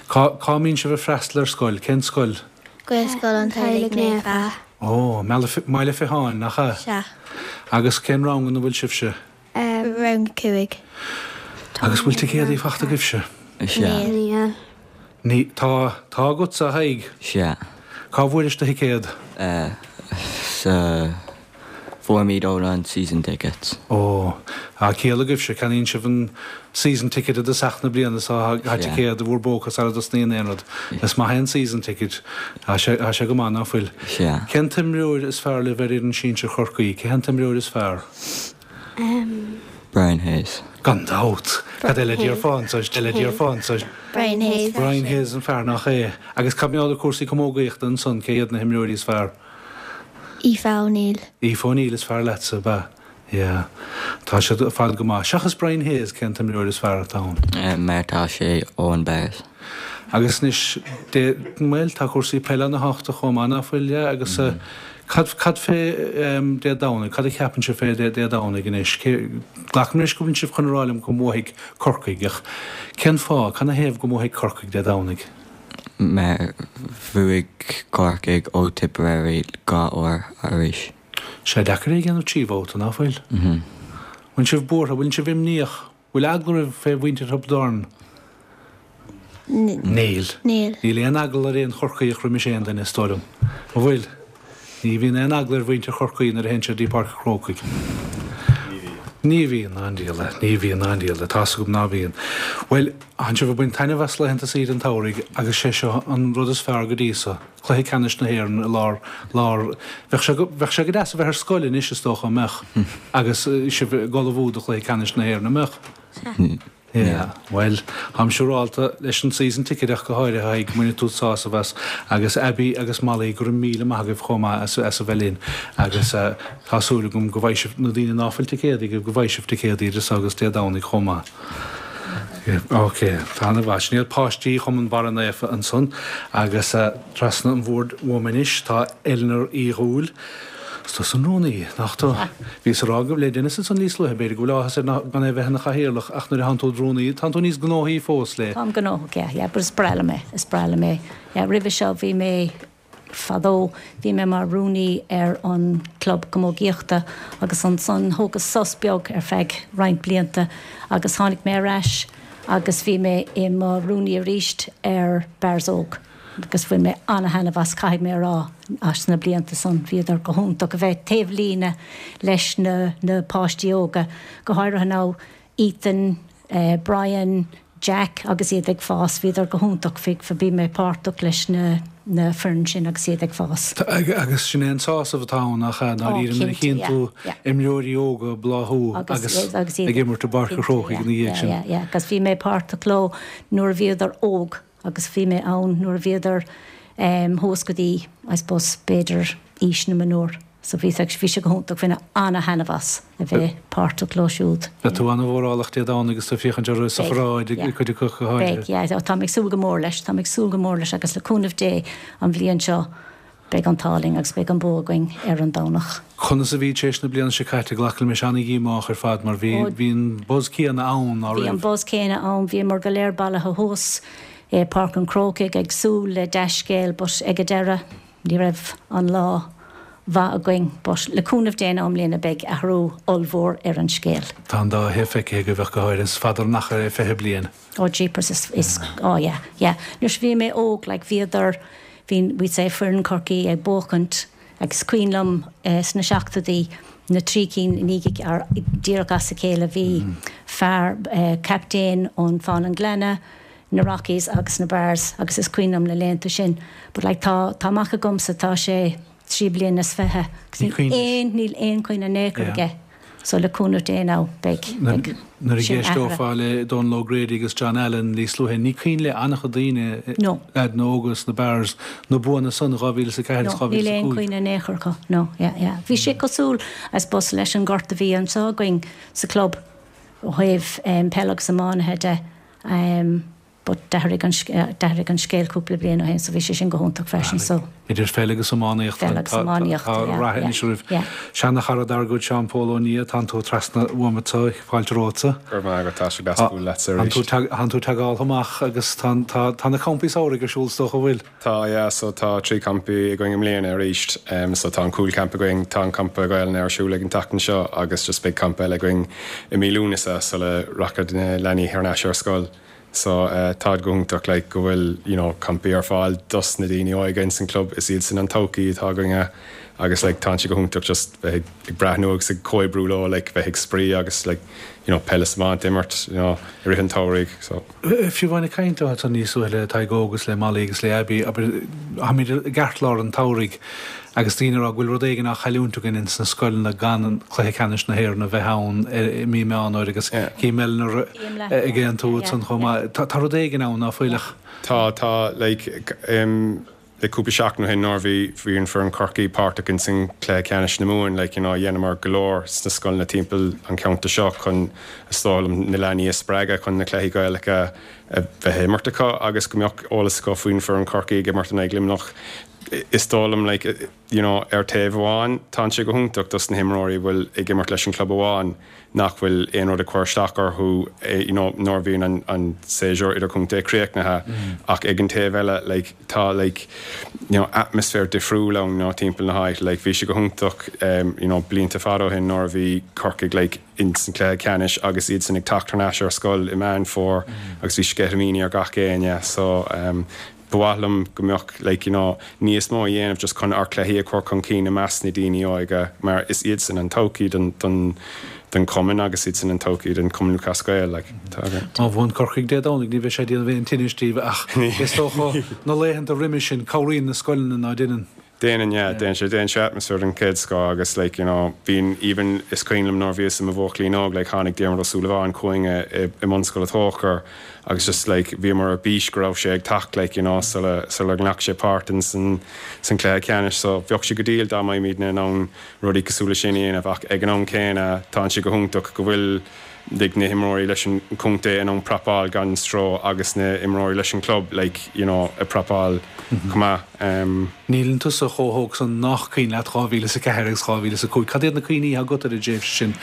Cá, cá mbíonn sibh ag freastal ar scoil? Cén scoil? Gaelscoil an Teaghlaigh Naofa. Ó, mBaile Phitháin, nach ea? Sea. Agus cén rang ina bhfuil sibhse? Rang 5. Agus bhfuil ticéadaí fachta agaibhse? Sea. Níl. Ní, tá, tá agatsa, a Thaidhg? Sea. Cá bhfuairis do thicéad? Sa, fuair muid ó an season tickets. Ó, tá ciall agaibhse, ceannaíonn sibh an season ticket i dtosach na bliana so tá ticéad i bhur bpóca sara dtosnaíonn aon rud. Is maith é an season ticket. Tá sé, tá sé go maith, ná fuil? Sea. Cén t-imreoir is fearr libh ar fhoireann sinsir Chorcaí? Cé hé an t-imreoir is fearr? Brian Hayes. Gan dabht! Cad eile a déarfá anso? Cad eile a déarfá anso? Brian Hayes. Brian Hayes an fear, nach é? Agus cad mar gheall ar cúrsaí camógaíochta ansan, cé hiad na himreoirí is fearr? Aoife O'Neill. Aoife O'Neill is fearr leatsa, ab ea? Yeah. Tá siad ar fad go maith. Seachas Brian Hayes, cén t-imreoir is fearr atá ann? Mar tá sé ón Barrs. Agus anois, dé, bhuel, tá cúrsaí peile ana-thábhachtach chomh maith, ná fuil? Yeah, agus cad, cad fé Dé Domhnaigh, cad a cheapann sibh fé Dé Domhnaigh anois? Cé, glacaim leis go bhfuil sibh chun a rá liom go mbuafaidh Corcaigh, ach cén fáth, cad 'na thaobh go mbuafaidh Corcaigh Dé Domhnaigh? Mar bhuaigh Corcaigh ó Tipperary 2 uair arís. Sé deacair é a dhéanamh 3 bhabhta, ná fuil? Bhfuil sibh buartha, bhfuil sibh imníoch? Bhfuil eagla oraibh fé mhuintir Thiobraid Árann? Níl. Níl. Níl aon eagla ar aon Chorcaíoch roimis aon duine, is dóigh liom. An bhfuil? Ní bhíonn aon eagla ar mhuintir Chorcaí nuair a théann siad dtí Páirc an Chrócaigh. Ní bhíonn. Ní bhíonn, a Aindiala. Ní bhíonn, a Aindiala. Tá's agam ná bíonn. Bhuel, tánn sibh ag baint taitneamh as laethanta saoire an tsamhraidh agus sé seo an rud is fearr go dtí so. Cluiche Ceannais na hÉireann i lár, lár, bheadh sé go, bheadh sé go deas a bheith ar scoil anois is dócha, an mbeadh? Agus sibh ag ullmhú do Chluiche Ceannais na hÉireann, an mbeadh? Sea. Yeah, bhuel, táim siúrálta leis an season ticket ach go háirithe, a Thaidhg, go mbainfidh tú sásamh as. Agus Abbie agus Molly, go raibh míle maith agaibh chomh maith as, as a bheith linn. Agus tá súil agam go bhfaighidh sibh, na daoine ná fuil ticéadaí agaibh, go bhfaighidh sibh ticéadaí idir so agus Dé Domhnaigh chomh maith. Ok, tá ana mhaith. Sin iad páistí Chumann Barra Naofa ansan agus trasna an bhoird uaim anois tá Eleanor Uí Dhúill. Is tusa an rúnaí, nach tú? Bhíos ag rá le Denis ansan níos luaithe, b'fhéidir go bhfuil áthas air gan é bheith ina chathaoirleach ach nuair a thánn tú id rúnaí, tánn tú níos gnóthaí fós le. Táim gnóthach, yeah, yeah, but is breá liom é, is breá liom é. Yeah, roimhe seo bhí mé, fadó, bhí mé mar rúnaí ar an club camógaíochta agus ansan thógas sos beag ar feadh roinnt blianta agus tháinig mé ar ais agus bhí mé i mo rúnaí arís ar Barrs Óg. Agus bhain mé ana-thaitneamh as, caithfidh mé a rá, as na blianta san. Bhíodar go hiontach a bheith taobh líne leis na na páistí óga, go háirithe now Ethan, Brian, Jack agus iad ag fás, bhíodar go hiontach, bhí, bhí mé páirteach leis na na foireann sin agus iad ag fás. Agus sin é an sásamh atá ann, nach ea, dáiríre, nuair a chíonn tú imreoirí óga ag bláthú agus ag imirt i bPáirc an Chrócaigh ina dhiaidh sin. Yeah, yeah, agus bhí mé páirteach leo nuair a bhíodar óg. Agus bhí mé ann nuair a bhíodar thuas go dtí, I suppose, b'fhéidir aois na mionúr. So bhí sé, bhí sé go hiontach, bhain mé ana-thaitneamh as a bheith páirteach leo siúd. Beidh tú ana-mhórálach Dé Domhnaigh agus tú ag féachaint orthu sa pharáid, ag cuid acu go háirithe. Beidh, yeah. Táim ag súil go mór leis, táim ag súil go mór leis agus le cúnamh Dé an bhliain seo Beidh an t-ádh linn agus beidh an bua againn ar an Domhnach. Conas a bhí tar éis na bliana seo caite? Glac liom é ana-dhíomách ar fad mar bhí bhí an buzz céanna ann, ná raibh? Bhí an buzz céanna ann. Bhíomar go léir bailithe thuas i Páirc an Chrócaigh ag súil le dea-scéal but ag an deireadh ní raibh an lá mhaith againn but le cúnamh Dé now i mbliana beidh athrú ollmhór ar an scéal. Tá an dá thaobh feicthe agaibh ach go háirithe. Is fada an achar é 20 bliain. Oh jeepers is is oh yeah yeah nuair a bhí mé óg like bhíodar bhí we'd say foireann Chorcaí ag buachaint agus is cuimhin liom sna seachtóidí na trí cinn i ndiaidh ar díreach as a chéile bhí fear captaen ón Fáil an Ghleanna na Rockies agus na Barrs agus is cuimhin liom na laethanta sin but like tá tá mac agamsa tá sé 23 bliana agus níl aon níl aon chuimhne in aon chor aige. So le cúnamh Dé now beidh, beidh Nuair a sin athraithe. D'éisteofá le Dónal O'Grady agus John Allen níos luaithe, ní cuimhin le an-chuid daoine, No. leaideanna óga sna Barrs, na buanna san, 2004 agus No, níl aon 2005. chuimhne in aon chor acu, no, yeah, yeah. Bhí sé cosúil, I suppose, leis an ngort a bhí anseo againn sa club ó thaobh peil agus iománaithe de. But d'athraigh an, d'athraigh an scéal cúpla bliain ó shin so bhí sé sin go hiontach freisin so. Idir pheil agus iománaíocht Peil agus iománaíocht, tá yeah, rath yeah, anois oraibh. yeah. Seana-chara dár gcuid Seán Pól Ó Nia, tánn tú trasna uaim anseo, fáilte romhatsa. Go raibh maith agat, tá sé deas bualadh leatsa Tánn tú, arís. tánn tú ag teagáil amach agus tá, tá, tá na campaí samhraidh ar siúl is dócha, an bhfuil? Tá, yeah, so tá 3 campaí againn i mbliana arís. So tá an cúl camp againn, tá an campa Gaelainne ar siúl ag an tseachtain seo agus just beidh campa eile againn i mí Lúnasa sula rachaidh na leanaí thar n-ais ar scoil. So táid go hiontach like go bhfuil you know campaí ar fáil dos na daoine óga ins an club, is iad sin an todhchaí atá againne agus like tánn sé go hiontach just bheith ag breathnú agus ag comhoibriú leo like bheith ag spraoi agus like you know peil is iomáint a imirt you know i rith an tsamhraidh so. Fiú amháin ag caint ansan níos luaithe le Tadhg Óg agus le Molly agus le Abby, abair, táimid i gceartlár an tsamhraidh agus daoine ag rá go bhfuil rud éigin á chailliúint againn ins na scoileanna gan Cluiche Ceannais na hÉireann a bheith ann i mí Meán Fhómhair agus cím Eleanor ag aontú ansan chomh maith. Tá rud éigin ann, ná fuil ach. Tá, tá, like, le cúpla seachtain ó shin nuair a bhí, bhí an foireann Chorcaí páirteach ins an cluiche ceannais na Mumhan, like, you know, dheineamar go leor sna scoileanna timpeall an cheantair seo chun, is dóigh liom, na leanaí a spreagadh chun na cluichí Gaelacha a bheith á imirt acu agus go mbeadh eolas acu faoin foireann Chorcaí ag imirt in aghaidh Luimneach. Is dóigh liom, like, you know, ar taobh amháin, tánn sé go hiontach dos na himreoirí a bhfuil ag imirt leis an club amháin nach bhfuil aon rud ag cur isteach orthu, you know, nuair a bhíonn an, an séasúr idirchontae críochnaithe ach ag an taobh eile, like, tá, like, you know, atmaisféar difriúil ann, you know, timpeall na háite, like, bhí sé go hiontach, you know, blianta fada ó shin nuair a bhí Corcaigh, like, ins an cluiche ceannais agus iadsan ag teacht thar n-ais ar scoil i Meán Fómhair agus bhí sceitimíní ar gach éinne so, Ba mhaith liom go mbeadh like you know níos mó a dhéanamh just chun ár cluichí a chur chun cinn i measc na daoine óige mar is iadsan an todhchaí don don don chumann agus iadsan an todhchaí don Chumann Lúthchleas Gael like tá againn. Má bhuann Corcaigh Dé Domhnaigh ní bheidh sé ag déanamh aon tinnis daoibh ach is dócha na laethanta roimhe sin cabhraíonn na scoileanna ná déanann? Déanann, yeah, déanann sé, déanann sé atmaisféar den chéad scoth agus like, you know, bíonn even, is cuimhin liom nuair a bhíos i mo bhuachaillín óg, like, tháinig Diarmuid Ó Súilleabháin chugainn i, i mBunscoil an Tóchair agus just like, bhíomar ar bís go raibh sé ag teacht like, you know, sula, sula nglac sé páirt in san, san cluiche ceannais so bheadh sé go diail dá mbeimídne in ann rudaí cosúil le sin a dhéanamh ach ag an am céanna tánn sé go hiontach go bhfuil. Like na himreoirí leis an chontae in ann prapáil gan stró agus na imreoirí leis an club like you know ag prapáil chomh maith. Níleann tusa chomh hóg san nach cuimhin leat 2004 agus 2005. Cad iad na cuimhní atá agat ar an dtréimhse sin?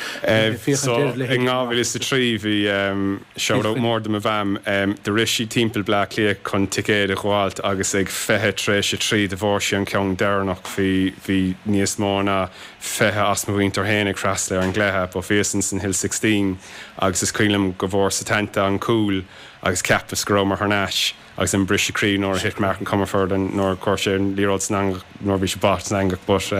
So in 2003 bhí shout out mór do mo mham, do rith sí timpeall Bleá Cliath chun ticéad a ghabháilt agus ag 20 tar éis a 3 do bhfuair sí an ceann deireanach. Bhí bhí níos mó ná 20 as mo mhuintir féin ag freastal ar an gcluiche, but bhíos ins an Hill 16 agus is cuimhin liom go bhfuair Setanta an cúl agus cheapas go rabhamar thar n-ais agus an briseadh croí nuair a thit Martin Comerford an nuair a chuir sé an liathróid san eangach nuair a bhí sé báite san eangach but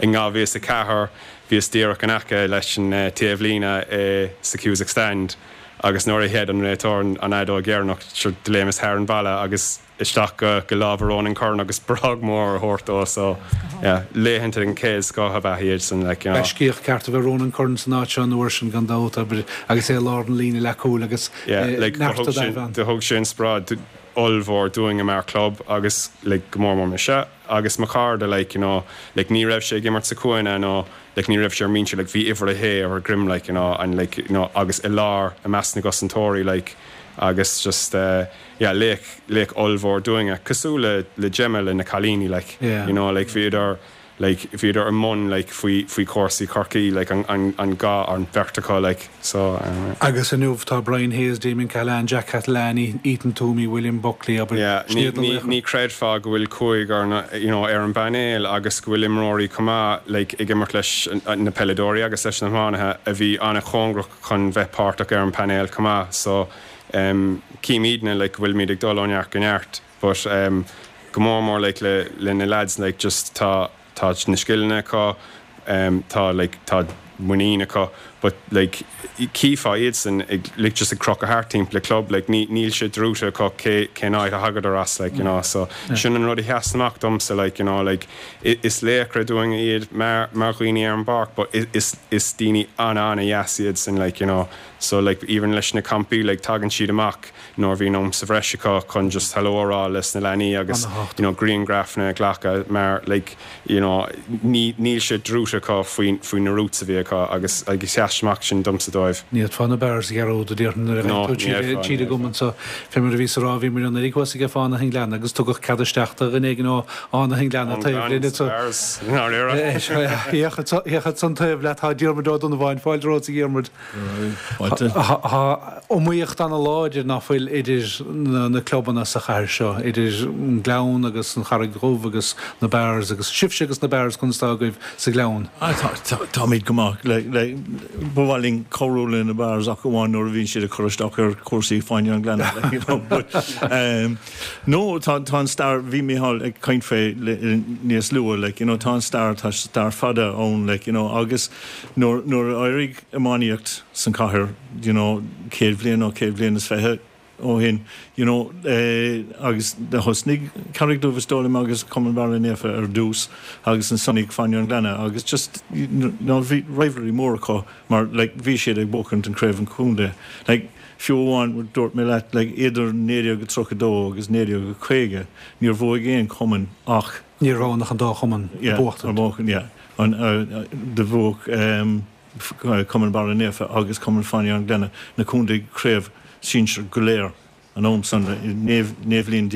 in 2004 bhíos díreach in aice leis an taobhlíne i sa Cusack Stand agus nuair a shéid an réiteoir an fheadóg dheireanach sure do léimeas thar an bhalla agus isteach go go lámha Ronan Curran agus brag mór a thabhairt dó so yeah laethanta den chéad scoth ab ea iad san like you know. Gaiscíoch ceart a bhí Ronan Curran san áit seo an uair sin gan dabht abair agus é i lár na líne leathchúil agus Yeah like do neart thug a sin d'aimh ann. do thug sé inspioráid ollmhór dúinne mar club agus like go mór mór mise agus mo chairde like you know like ní raibh sé ag imirt sa Chúinne nó like ní raibh sé ar an mbinse like bhí uimhir a shé ar a dhroim like you know and like you know agus i lár i measc na gcosantóirí like agus just eh yeah laoch laoch ollmhór dúinne cosúil le le Gemma le na cailíní like Yeah. you know like bhíodar like bhíodar i mbun like faoi faoi chúrsaí Chorcaí like an an an gá an bheirt acu like so eh. Agus inniu tá Brian Hayes, Damien Cahalane, Jack Catalani, Ethan Twomey, William Buckley abair Yeah sin ní iad na ní laochra. ní chreidfeá go bhfuil cúigear na you know ar an bpainéal agus go bhfuil imreoirí chomh maith like ag imirt leis na peileadóirí agus leis na hiománaithe a bhí an-chóngarach chun bheith páirteach ar an bpainéal chomh maith so em címidne like go bhfuilimid ag dul ó neart go neart but em go mór mór like le le na lads like just tá tá na scileanna acu em tá like tá muinín acu but like chífeá iadsan ag like just ag crochadh thart timpeall an club like ní níl sé druidte acu cé cén áit a thagadar as like you know so sin an rud a sheas amach domsa like you know like is laochra dúinne iad mar mar dhaoine ar an bpáirc but is is daoine an-an-dheas iadsan like you know So like even leis na campaí like tagann siad amach nuair a bhíonn am sa bhreis acu chun just hello a rá leis na leanaí agus you know grianghrafanna a ghlacadh mar like you know ní níl sé druidte acu faoi faoi na roots a bhí acu agus agus sheas amach sin domsa dóibh. Ní fhéadfá na Barrs a dhearúd a déarfainn nuair a No, gheibh tú ní fhéadfá, ní tríd an fhéadfá. gcumann so. Fé mar a bhíos a rá bhí muid anuraidh thuas ag Fánaithe an Ghleanna agus tugadh cead isteach do dhuine éigin ó Fhánaithe an Ghleanna Ón taobh gClann linn is so. Barrs, ndáiríre. Féach ansan taobh leat tá Diarmuid Ó Donnabháin, fáilte romhat a Dhiarmuid. Tá iomaíocht ana-láidir ná fuil idir na clubanna sa chathair seo, idir an Gleann agus an Charraig Dhubh agus na Barrs agus sibhse agus na Barrs conas atá agaibh sa Ghleann? Táimid go maith. Ba mhaith linn cabhrú le na Barrs ach amháin nuair a bhíonn siad ag cur isteach ar chúrsaí Fáinne an Ghleanna. No, tá an stair, bhí Mícheál ag caint fé níos luaithe, like, you know, tá an stair, tá stair fada ann, like, you know, agus nuair a éirigh iománaíocht san chathair, you know, 100 bhliain nó 100 bhliain is 20 ó shin, you know, agus do thosnaigh Carraig Dubh is dóigh liom agus Cumann Barra Naofa ar dtús agus ansan Fáinne an Ghleanna agus just, you know, bhí rivalry mór acu mar like bhí siad ag buachaint an craobh an chontae. Like fiú amháin dúirt mé leat like idir 1932 agus 1950 níor bhuaigh aon chumann ach Ní raibh ann ach an dá chumann ag buachtaint. Yeah, ag buachan, yeah. An, do bhuaigh Cumann Barra Naofa agus Cumann Fáinne an Ghleanna na contae craobh sinsir go léir an am san, 19 bhliain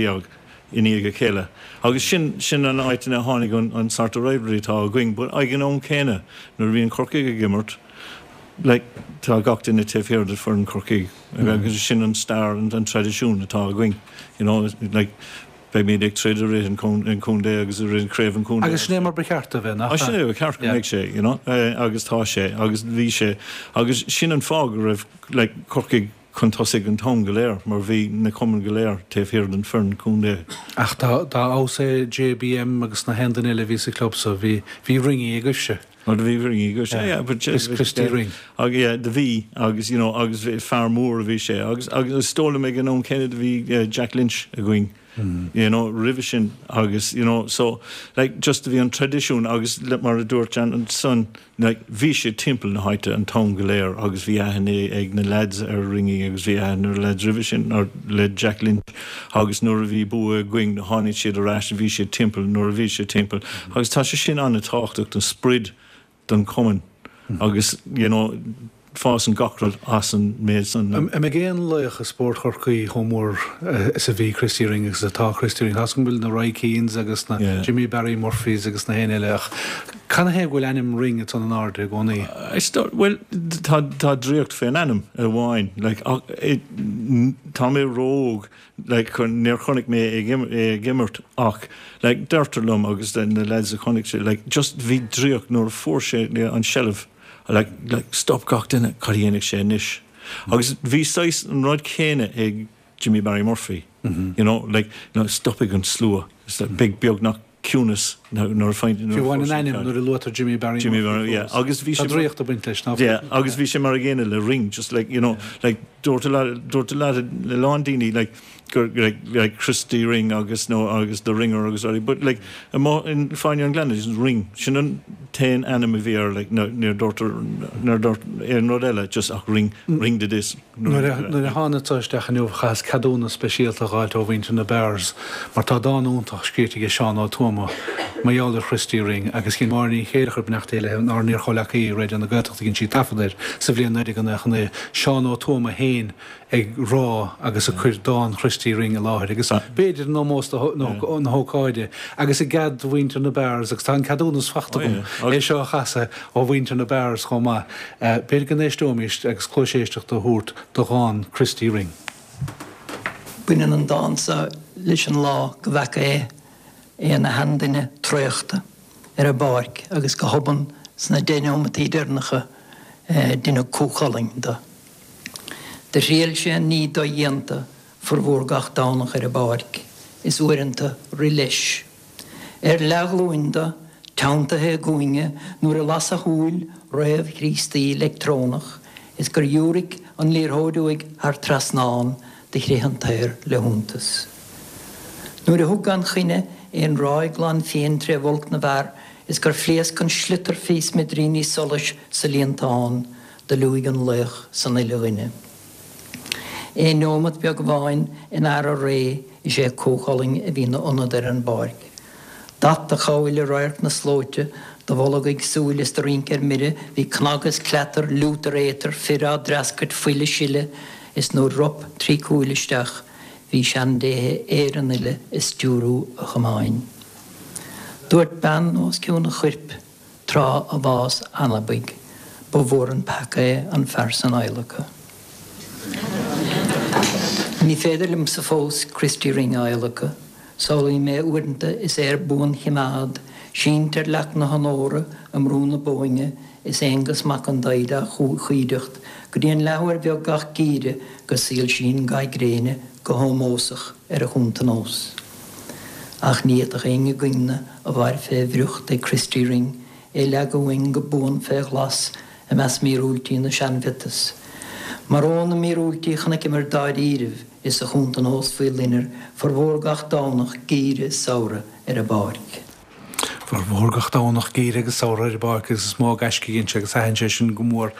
i ndiaidh a chéile. Agus sin, sin an áit ina tháinig an, an sort of rivalry atá againn. But ag an am céanna, nuair a bhíonn Corcaigh ag imirt, like, tá gach duine taobh thiar de foireann Chorcaí. Agus sin an stair, an, an traidisiún atá againn, you know, like, Beimid ag troid i rith an chontae agus i rith chraobh an chontae. Agus sin é mar ba cheart a bheith, nach ea? Sin é ba cheart go mbeadh sé, you know, agus tá sé, agus bhí sé, agus sin an fáth go raibh, like, Corcaigh chun tosaigh an t-am go léir, mar bhí na cumainn go léir taobh thiar den foireann contae. Ach dá fheabhas é JBM agus na haon duine eile a bhí sa chlub so, bhí, bhí Ringy agaibhse. Ó do bhí Ringy agaibhse, yeah, but Christy Ring. Yeah, do bhí, agus, you know, agus fear mór a bhí sé, agus, agus is dóigh liom ag an am céanna do bhí Jack Lynch againn, you know, roimhe sin, agus, you know, so, like, just do bhí an traidisiún agus mar a dúirt Jan ansan, like, bhí sé timpeall na háite an t-am go léir agus bhí aithne ag na lads ar Ringy agus bhí aithne ar na lads roimhe sin, ar, le Jack Lynch agus nuair a bhí bua againn tháinig siad ar ais, bhí siad timpeall nuair a bhí siad timpeall agus tá sé sin an-tábhachtach don sprid don chumann agus, you know, Fásann gach rud as an méid san. An mbeidh aon laoch i spórt Chorcaí chomh mór is a bhí Christy Ring agus atá Christy Ring? Tá's agam go bhfuil na Roy Keanes agus na Jimmy Barry Murphys agus na héinne eile ach canathaobh go bhfuil ainm Ring ansan in airde i gcónaí? Bhuel, tá draíocht fén ainm amháin. Like, tá mé ró-óg like níor chonaic mé é ag imirt ach like deirtear liom agus na lads a chonaic sé like just bhí draíocht nuair a fuair sé an seilbh like like stop gach duine cad a dhéanfaidh sé anois agus bhí saghas an rud céanna ag Jimmy Barry Murphy you know like you know stopfaidh an slua it's like beidh beagnach ciúnas nuair a faigheann Fiú amháin an ainm nuair a luaitear Jimmy Barry Jimmy Barry yeah agus bhí sé Tá draíocht ag baint leis nach yeah agus bhí sé mar a gcéanna le Ring just like you know like dúirt a lot dúirt a lot a lán daoine like gur like like Christy Ring agus nó agus the Ringer agus rudaí but like amuigh in Fáinne an Ghleanna just Ring sin an t-aon ainm a bhí air like níor dúirt níor dúirt aon rud eile just ach Ring Ring did this Nuair a thánadsa isteach inniu chaitheas ceadúnas speisialta a dh'fháilt ó mhuintir na Bears mar tá dán iontach scríte aige Seán Ó Tuama mar gheall ar Christy Ring agus dhein Máire Ní Chéileachair, beannacht Dé léi, ár n-iar-chomhleacaí i Raidió na Gaeltachta dhein sí taifead air sa bhliain 1999, Seán Ó Tuama féin ag rá agus ag cur dán Christy Ring i láthair agus b'fhéidir in ómós na hócáide agus i gcead do mhuintir na Bears agus tá an ceadúnas fachta agam é seo a chasadh ó mhuintir na Bears chomh maith. B'fhéidir go n-éisteoimis agus cluas éisteachta a thabhairt do dhán Christy Ring. Baineann an dán seo leis an lá go bhfeaca é, é ina sheanduine traochta ar an bpáirc agus go hobann sna deich neomataí deireanacha deineadh Cú Chulainn de. Do thriail sé an ní dodhéanta formhór gach Domhnach ar an bpáirc is uaireanta rith leis. Ar leathghlúin do, teanntaithe i gcúinge nuair a las a shúil réamh-Chríostaí leictreonach is gur dhiúraic an liathróid uaidh thar trasnán do chrith an t-aer le hiontas. Nuair a thug gan choinne é an ráig glan fiain tré bhulc na bhfear is gur phléasc an sliotar fé smidiríní solais sa líontán do liúigh an laoch san uile dhuine. Aon neomat beag amháin in earra ré is é Cú Chulainn a bhí 'na ionad ar an bpáirc. D'at a chabhail i radharc na slóite, do bholg ag súil is do rince ar mire, bhí cnag is cleatar, liút ar éatar, fir á dtreascairt, fuil ag sileadh, is nuair rop trí cúil isteach, bhí seandéithe Éireann uile ag stiúrú a chamáin. Dúirt bean os cionn a choirp. Tráth a bhás anabaigh, ba mhór an peaca é an fear san adhlacadh. Ní féidir liomsa fós Christy Ring a adhlacadh. Samhlaím é uaireanta is é ar buanchimeád, sínte ar leac na honóra i mBrú na Bóinne is Aonghus Mac an Daigh dá chuideacht go dtí an leathuair bheag gach geimhreadh go soilsíonn ga gréine go hómósach ar a chuntanós. Ach ní fhéadfadh éinne againn-ne a mhair fé bhriocht ag Christy Ring é leagadh uainn go buan fé ghlas i measc míorúiltí na seanmhiotas. Mar ó na míorúiltí chonaiceamar dáiríribh is a chuntanós faoi loinnir formhór gach Domhnach geimhridh is samhradh ar an bpáirc. Formhór gach Domhnach geimhridh agus samhradh ar an bpáirc agus is mó gaisce a dhein sé agus thaitin sé sin go mór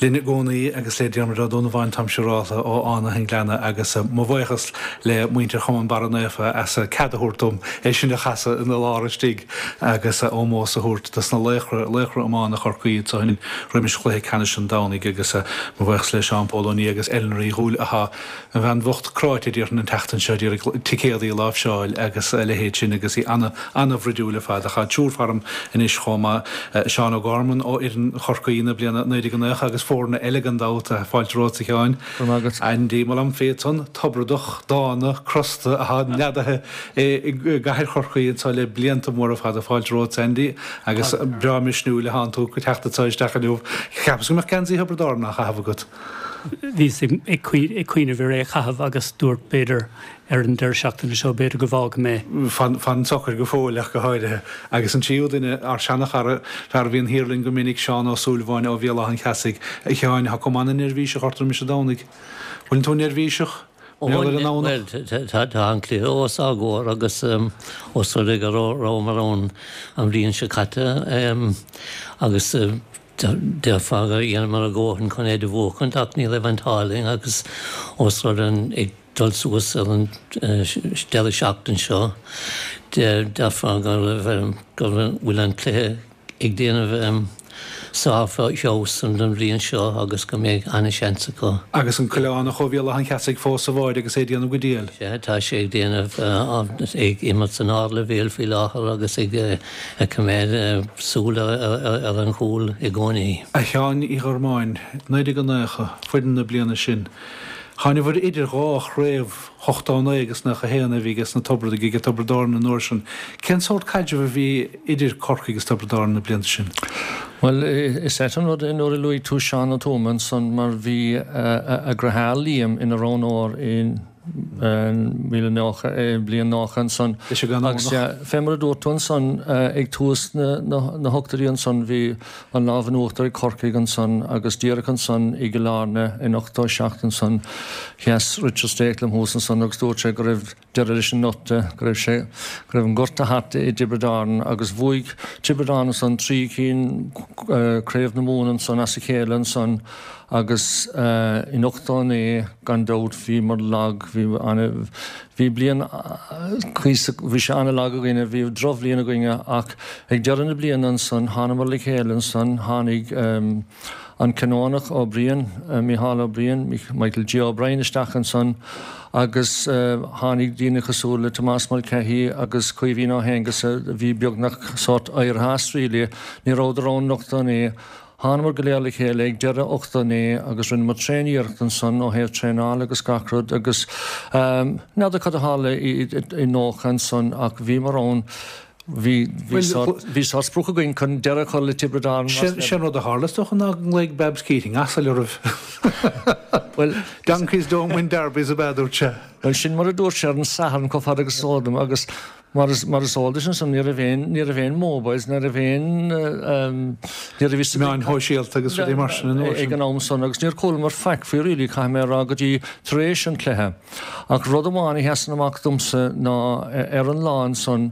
linn i gcónaí agus le Diarmuid Ó Donnabháin tá siúrálta ó Fhánaithe an Ghleanna agus mo bhuíochas le muintir Chumann Barra Naofa as cead a thabhairt dom é sin a chasadh ina lár istigh agus ómós a thabhairt dos na laochra, laochra iomána Chorcaí anso roimis chluiche ceannais an Domhnaigh agus mo bhuíochas le Seán Pól Ó Nia agus Eleanor Uí Dhúill atá An bhean bhocht cráite déarfainn an tseachtain seo ag iarraidh ticéadaí a láimhseáil agus a leithéid sin agus í ana-bhroidiúil ar fad. Ach tá triúr faram anois chomh maith, Seán O'Gorman ó fhoireann Chorcaí na bliana 1990 agus foirne eile gan dabht. Fáilte romhat a Sheáin. Go raibh maith agat. Andy Molamphy ansan, Tobradach, dána, crosta atá neadaithe i gcathair Chorcaí anseo le blianta móra fada. Fáilte romhat Andy agus breá misniúil atánn tú ag teacht anseo isteach inniu. Cheapas go mbeadh geansaí Thiobraid Árann á chaitheamh agat. Bhíos ag cuimhneamh ar é a chaitheamh agus dúirt b'fhéidir ar an deireadh seachtaine seo b'fhéidir go bhfágfaidh mé. Fan socair go fóill ach go háirithe. Agus an tríú duine, ár seana-chara, fear a bhíonn thiar linn go minic, Seán Ó Súilleabháin ó Bhéal Átha an Cheasaigh. A Sheáin, tá cuma ana-neirbhíseach ort roimis an Domhnaigh. Bhfuileann tú neirbhíseach? Mar gheall ar an nDomhnach? Bhuel, tá an cluiche os ár gcomhair agus os rud é go rabhamar ann an bhliain seo caite agus Déarfá gur dheineamar ár ndóthain chun é do bhuachaint ach ní raibh an t-ádh linn agus ós rud é ag dul suas ar an deireadh seachtain seo déarfá go raibh go bhfuil an cluiche ag déanamh. Sár-fheabhas an bhliain seo agus go mbeidh an-seans acu. Agus an Coileánach ó Bhéal Átha an Cheasaigh fós sa bháide agus é ag déanamh go diail. Sea, tá sé ag déanamh, ag imirt san ardleibhéal faoi láthair agus ag coimeád súil ar an chúl i gcónaí. A Sheáin Uí Ghormáin, 1990, foireann na bliana sin. Thánabhair idir dhá chraobh, 89 agus 91 a bhí aige sna Tiobradaigh, aige Tiobraid Árann an uair sin. Cén sórt caidrimh a bhí idir Corcaigh agus Tiobraid Árann na blianta sin? Bhuel, is ait an rud é nuair a luaigh tú Seán Ó Tuama ansan mar bhí a dheartháir Liam ina roghnóir i bliain 90 ansan agus fé mar a dúirt tú ansan ag tús na hochtóidí ansan bhí an lámh in uachtar ag Corcaigh ansan agus díreach ansan i gCill Airne in 87 ansan sheas Richard Stakelum thuas ansan agus dúirt sé go raibh deireadh leis an ngorta, go raibh sé, go raibh an gorta thart i dTiobraid Árann agus bhuaigh Tiobraid Árann ansan trí cinn Craobh na Mumhan ansan as a chéile ansan agus in 89 gan dabht bhíomar lag, bhí ana, bhí bliain cuíosach, bhí sé ana lag againne, bhí drochbhliain againne ach ag deireadh na bliana ansan thánamar le chéile ansan, tháinig an Canónach Ó Briain, Mícheál Ó Briain, Michael G O'Brien isteach ansan agus tháinig daoine cosúil le Tomás Mulcahy agus Caoimhín Ó hAonghusa a bhí beagnach sórt éirithe as really, ní rabhadar ann in 89. Thánamar go léir le chéile ag deireadh 89 agus rinneamar tréan-iarracht ansan ó thaobh traenála agus gach rud agus n'fheadar cad a tharla i 90 ansan ach bhíomar ann, bhí, bhí sórt, bhí sórt sprioc againn chun deireadh a chur le Tiobraid Árann más Sé an rud a tharla is dócha ná go nglaoigh Babs Keating asail oraibh. Bhuel, Donkeys don't win derbies ab ea a dúirt sé? Bhuel sin mar a dúirt sé ar an Satharn chomh fada agus is eol dom agus Mar is mar is eol duit ansan ní raibh aon ní raibh aon mobiles ní raibh aon ní raibh fhios Meáin shóisialta agus rudaí mar sin an uair sin. ag an am san agus níor chualamar faic faoi really caithfidh mé a rá go dtí tar éis an chluiche. Ach rud amháin a sheasann amach domsa ná ar an lá ansan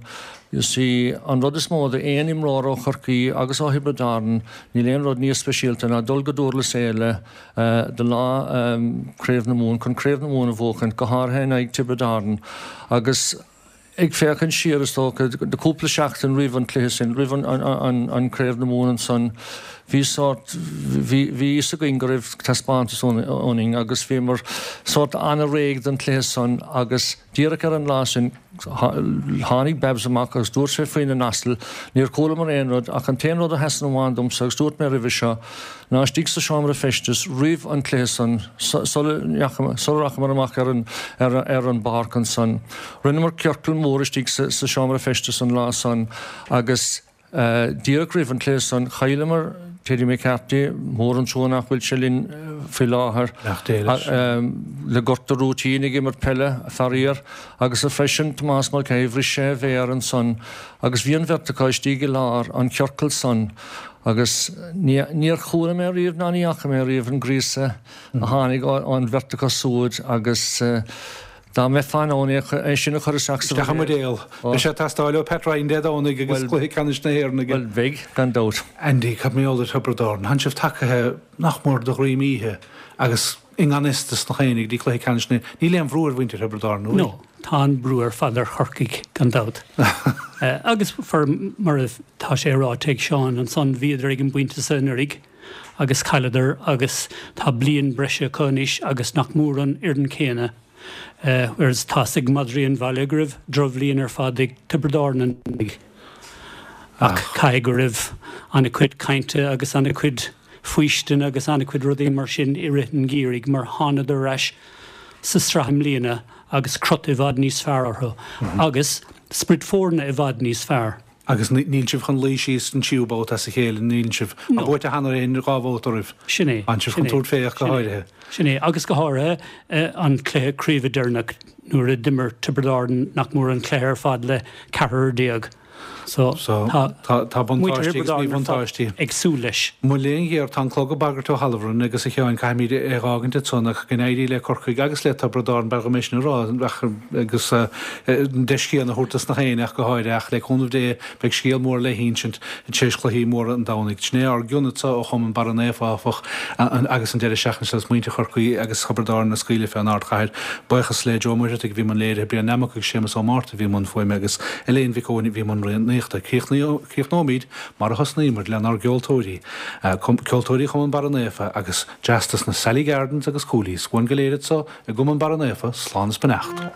you see an rud is mó d'aon imreoir ó Chorcaí agus ó Thiobraid Árann níl aon rud níos speisialta ná dul go Dúrlas Éile do lá Craobh na Mumhan chun Craobh na Mumhan a bhuachaint go háirithe in aghaidh Tiobraid Árann agus Ag féachaint siar, is dócha, do cúpla seachtain roimh an cluiche sin, roimh an Craobh na Mumhan ansan, bhí sórt, bhí fhios againn go raibh taispeántas ionainn agus bhíomar sórt an-réidh don chluiche san agus díreach ar an lá sin, tháinig Babs amach agus dúirt sé faoina n-asal, níor chualamar aon rud ach an t-aon rud a sheasann amháin domsa agus dúirt mé roimhe seo, ná istigh sa seomra feistis roimh an cluiche san, sula rachamar amach ar an ar an bpáirc ansan. Rinneamar ciorcal mór istigh sa seomra feistis an lá san agus díreach roimh an cluiche san chailleamar Teddy McCarthy, mór an trua nach bhfuil sé linn faoi láthair, le gortú rúitín ag imirt peile, faraor, agus freisin Tomás Mulcahy, bhris sé a mhéar ansan agus bhí an bheirt acu istigh i lár an chiorcail san. Agus níor chuala mé riamh ná ní fhaca mé riamh an gríosadh a tháinig ón bheirt acu súd agus dá mbeifeá in ann é sin a chur isteach sa Isteach i mbuidéal. Beidh sé ag teastáil ó Pat Ryan Dé Domhnaigh agus cluiche ceannais na hÉireann aige. Bhuel, beidh, gan dabht. Andy, cad mar gheall ar Thiobraid Árann? Tánn sibh tagaithe nach mór de dhroim oíche agus i ngan fhios dos nach éinne go dtí cluiche ceannais na Níl aon bhrú ar mhuintir Thiobraid Árann, an bhfuil? No, tá an brú ar fad ar Chorcaigh, gan dabht. Agus for mar atá sé ráite ag Seán ansan, bhíodar ag an bpointe so anuraidh agus chailleadar agus tá bliain breise acu anois agus nach mór an fhoireann céanna. Whereas tá's ag madraí an bhaile go raibh drochbhliain ar fad ag Tiobraid Árann anuraidh. Ach caithfidh go raibh an-chuid cainte agus an-chuid faoistine agus an-chuid rudaí mar sin i rith an gheimhridh mar thánadar ar ais sa sraith i mbliana agus crot i bhfad níos fearr orthu agus sprid foirne i bhfad níos fearr. Agus níl sibh chun luí síos an tríú babhta as a chéile, níl sibh. Tá buaite cheana féin dhá bhabhta oraibh. Sin é. Tánn sibh chun tabhairt fé ach go háirithe. Sin é. Agus go háirithe an cluiche craoibhe deireanach nuair a d'imir Tiobraid Árann nach mór an cluiche ar fad le ceathrar déag. So, tá tá buntáistí agus míbhuntáistí. ag súil leis. Mo léan ghéar, tá an clog ag bagairt ó thalamh orainn agus a Sheáin, caithfimid é a dh'fhágaint ansan ach go n-éirí le Corcaigh agus le Tiobraid Árann, b'fhearr dhom é sin a rá ach agus an deis chéanna a thabhairt dos nach éinne ach go háirithe ach le cúnamh Dé beidh scéal mór le hinsint tar éis chluichí móra an Domhnaigh. Sin é ár gcion anso ó Chumann Barra Naofa áfach agus an deireadh seachtaine seo is muintir Chorcaí agus Thiobraid Árann á scaoileadh fén ardchathair. Buíochas le Joe Ó Muircheartaigh a bhí i mbun léirithe, Brian Nammock agus Séamus Ó Márta a bhí i mbun fuaime agus Elaine Mhic Eoin a bhí i mbun rianaithe. iománaíochta. Críochnóimid mar a thosnaíomar, lenár gceoltóirí, Ceoltóirí Chumann Barra Naofa agus dreas dos na Sally Gardens agus Coolies. Uainn go léir anso i gCumann Barra Naofa, slán is beannacht.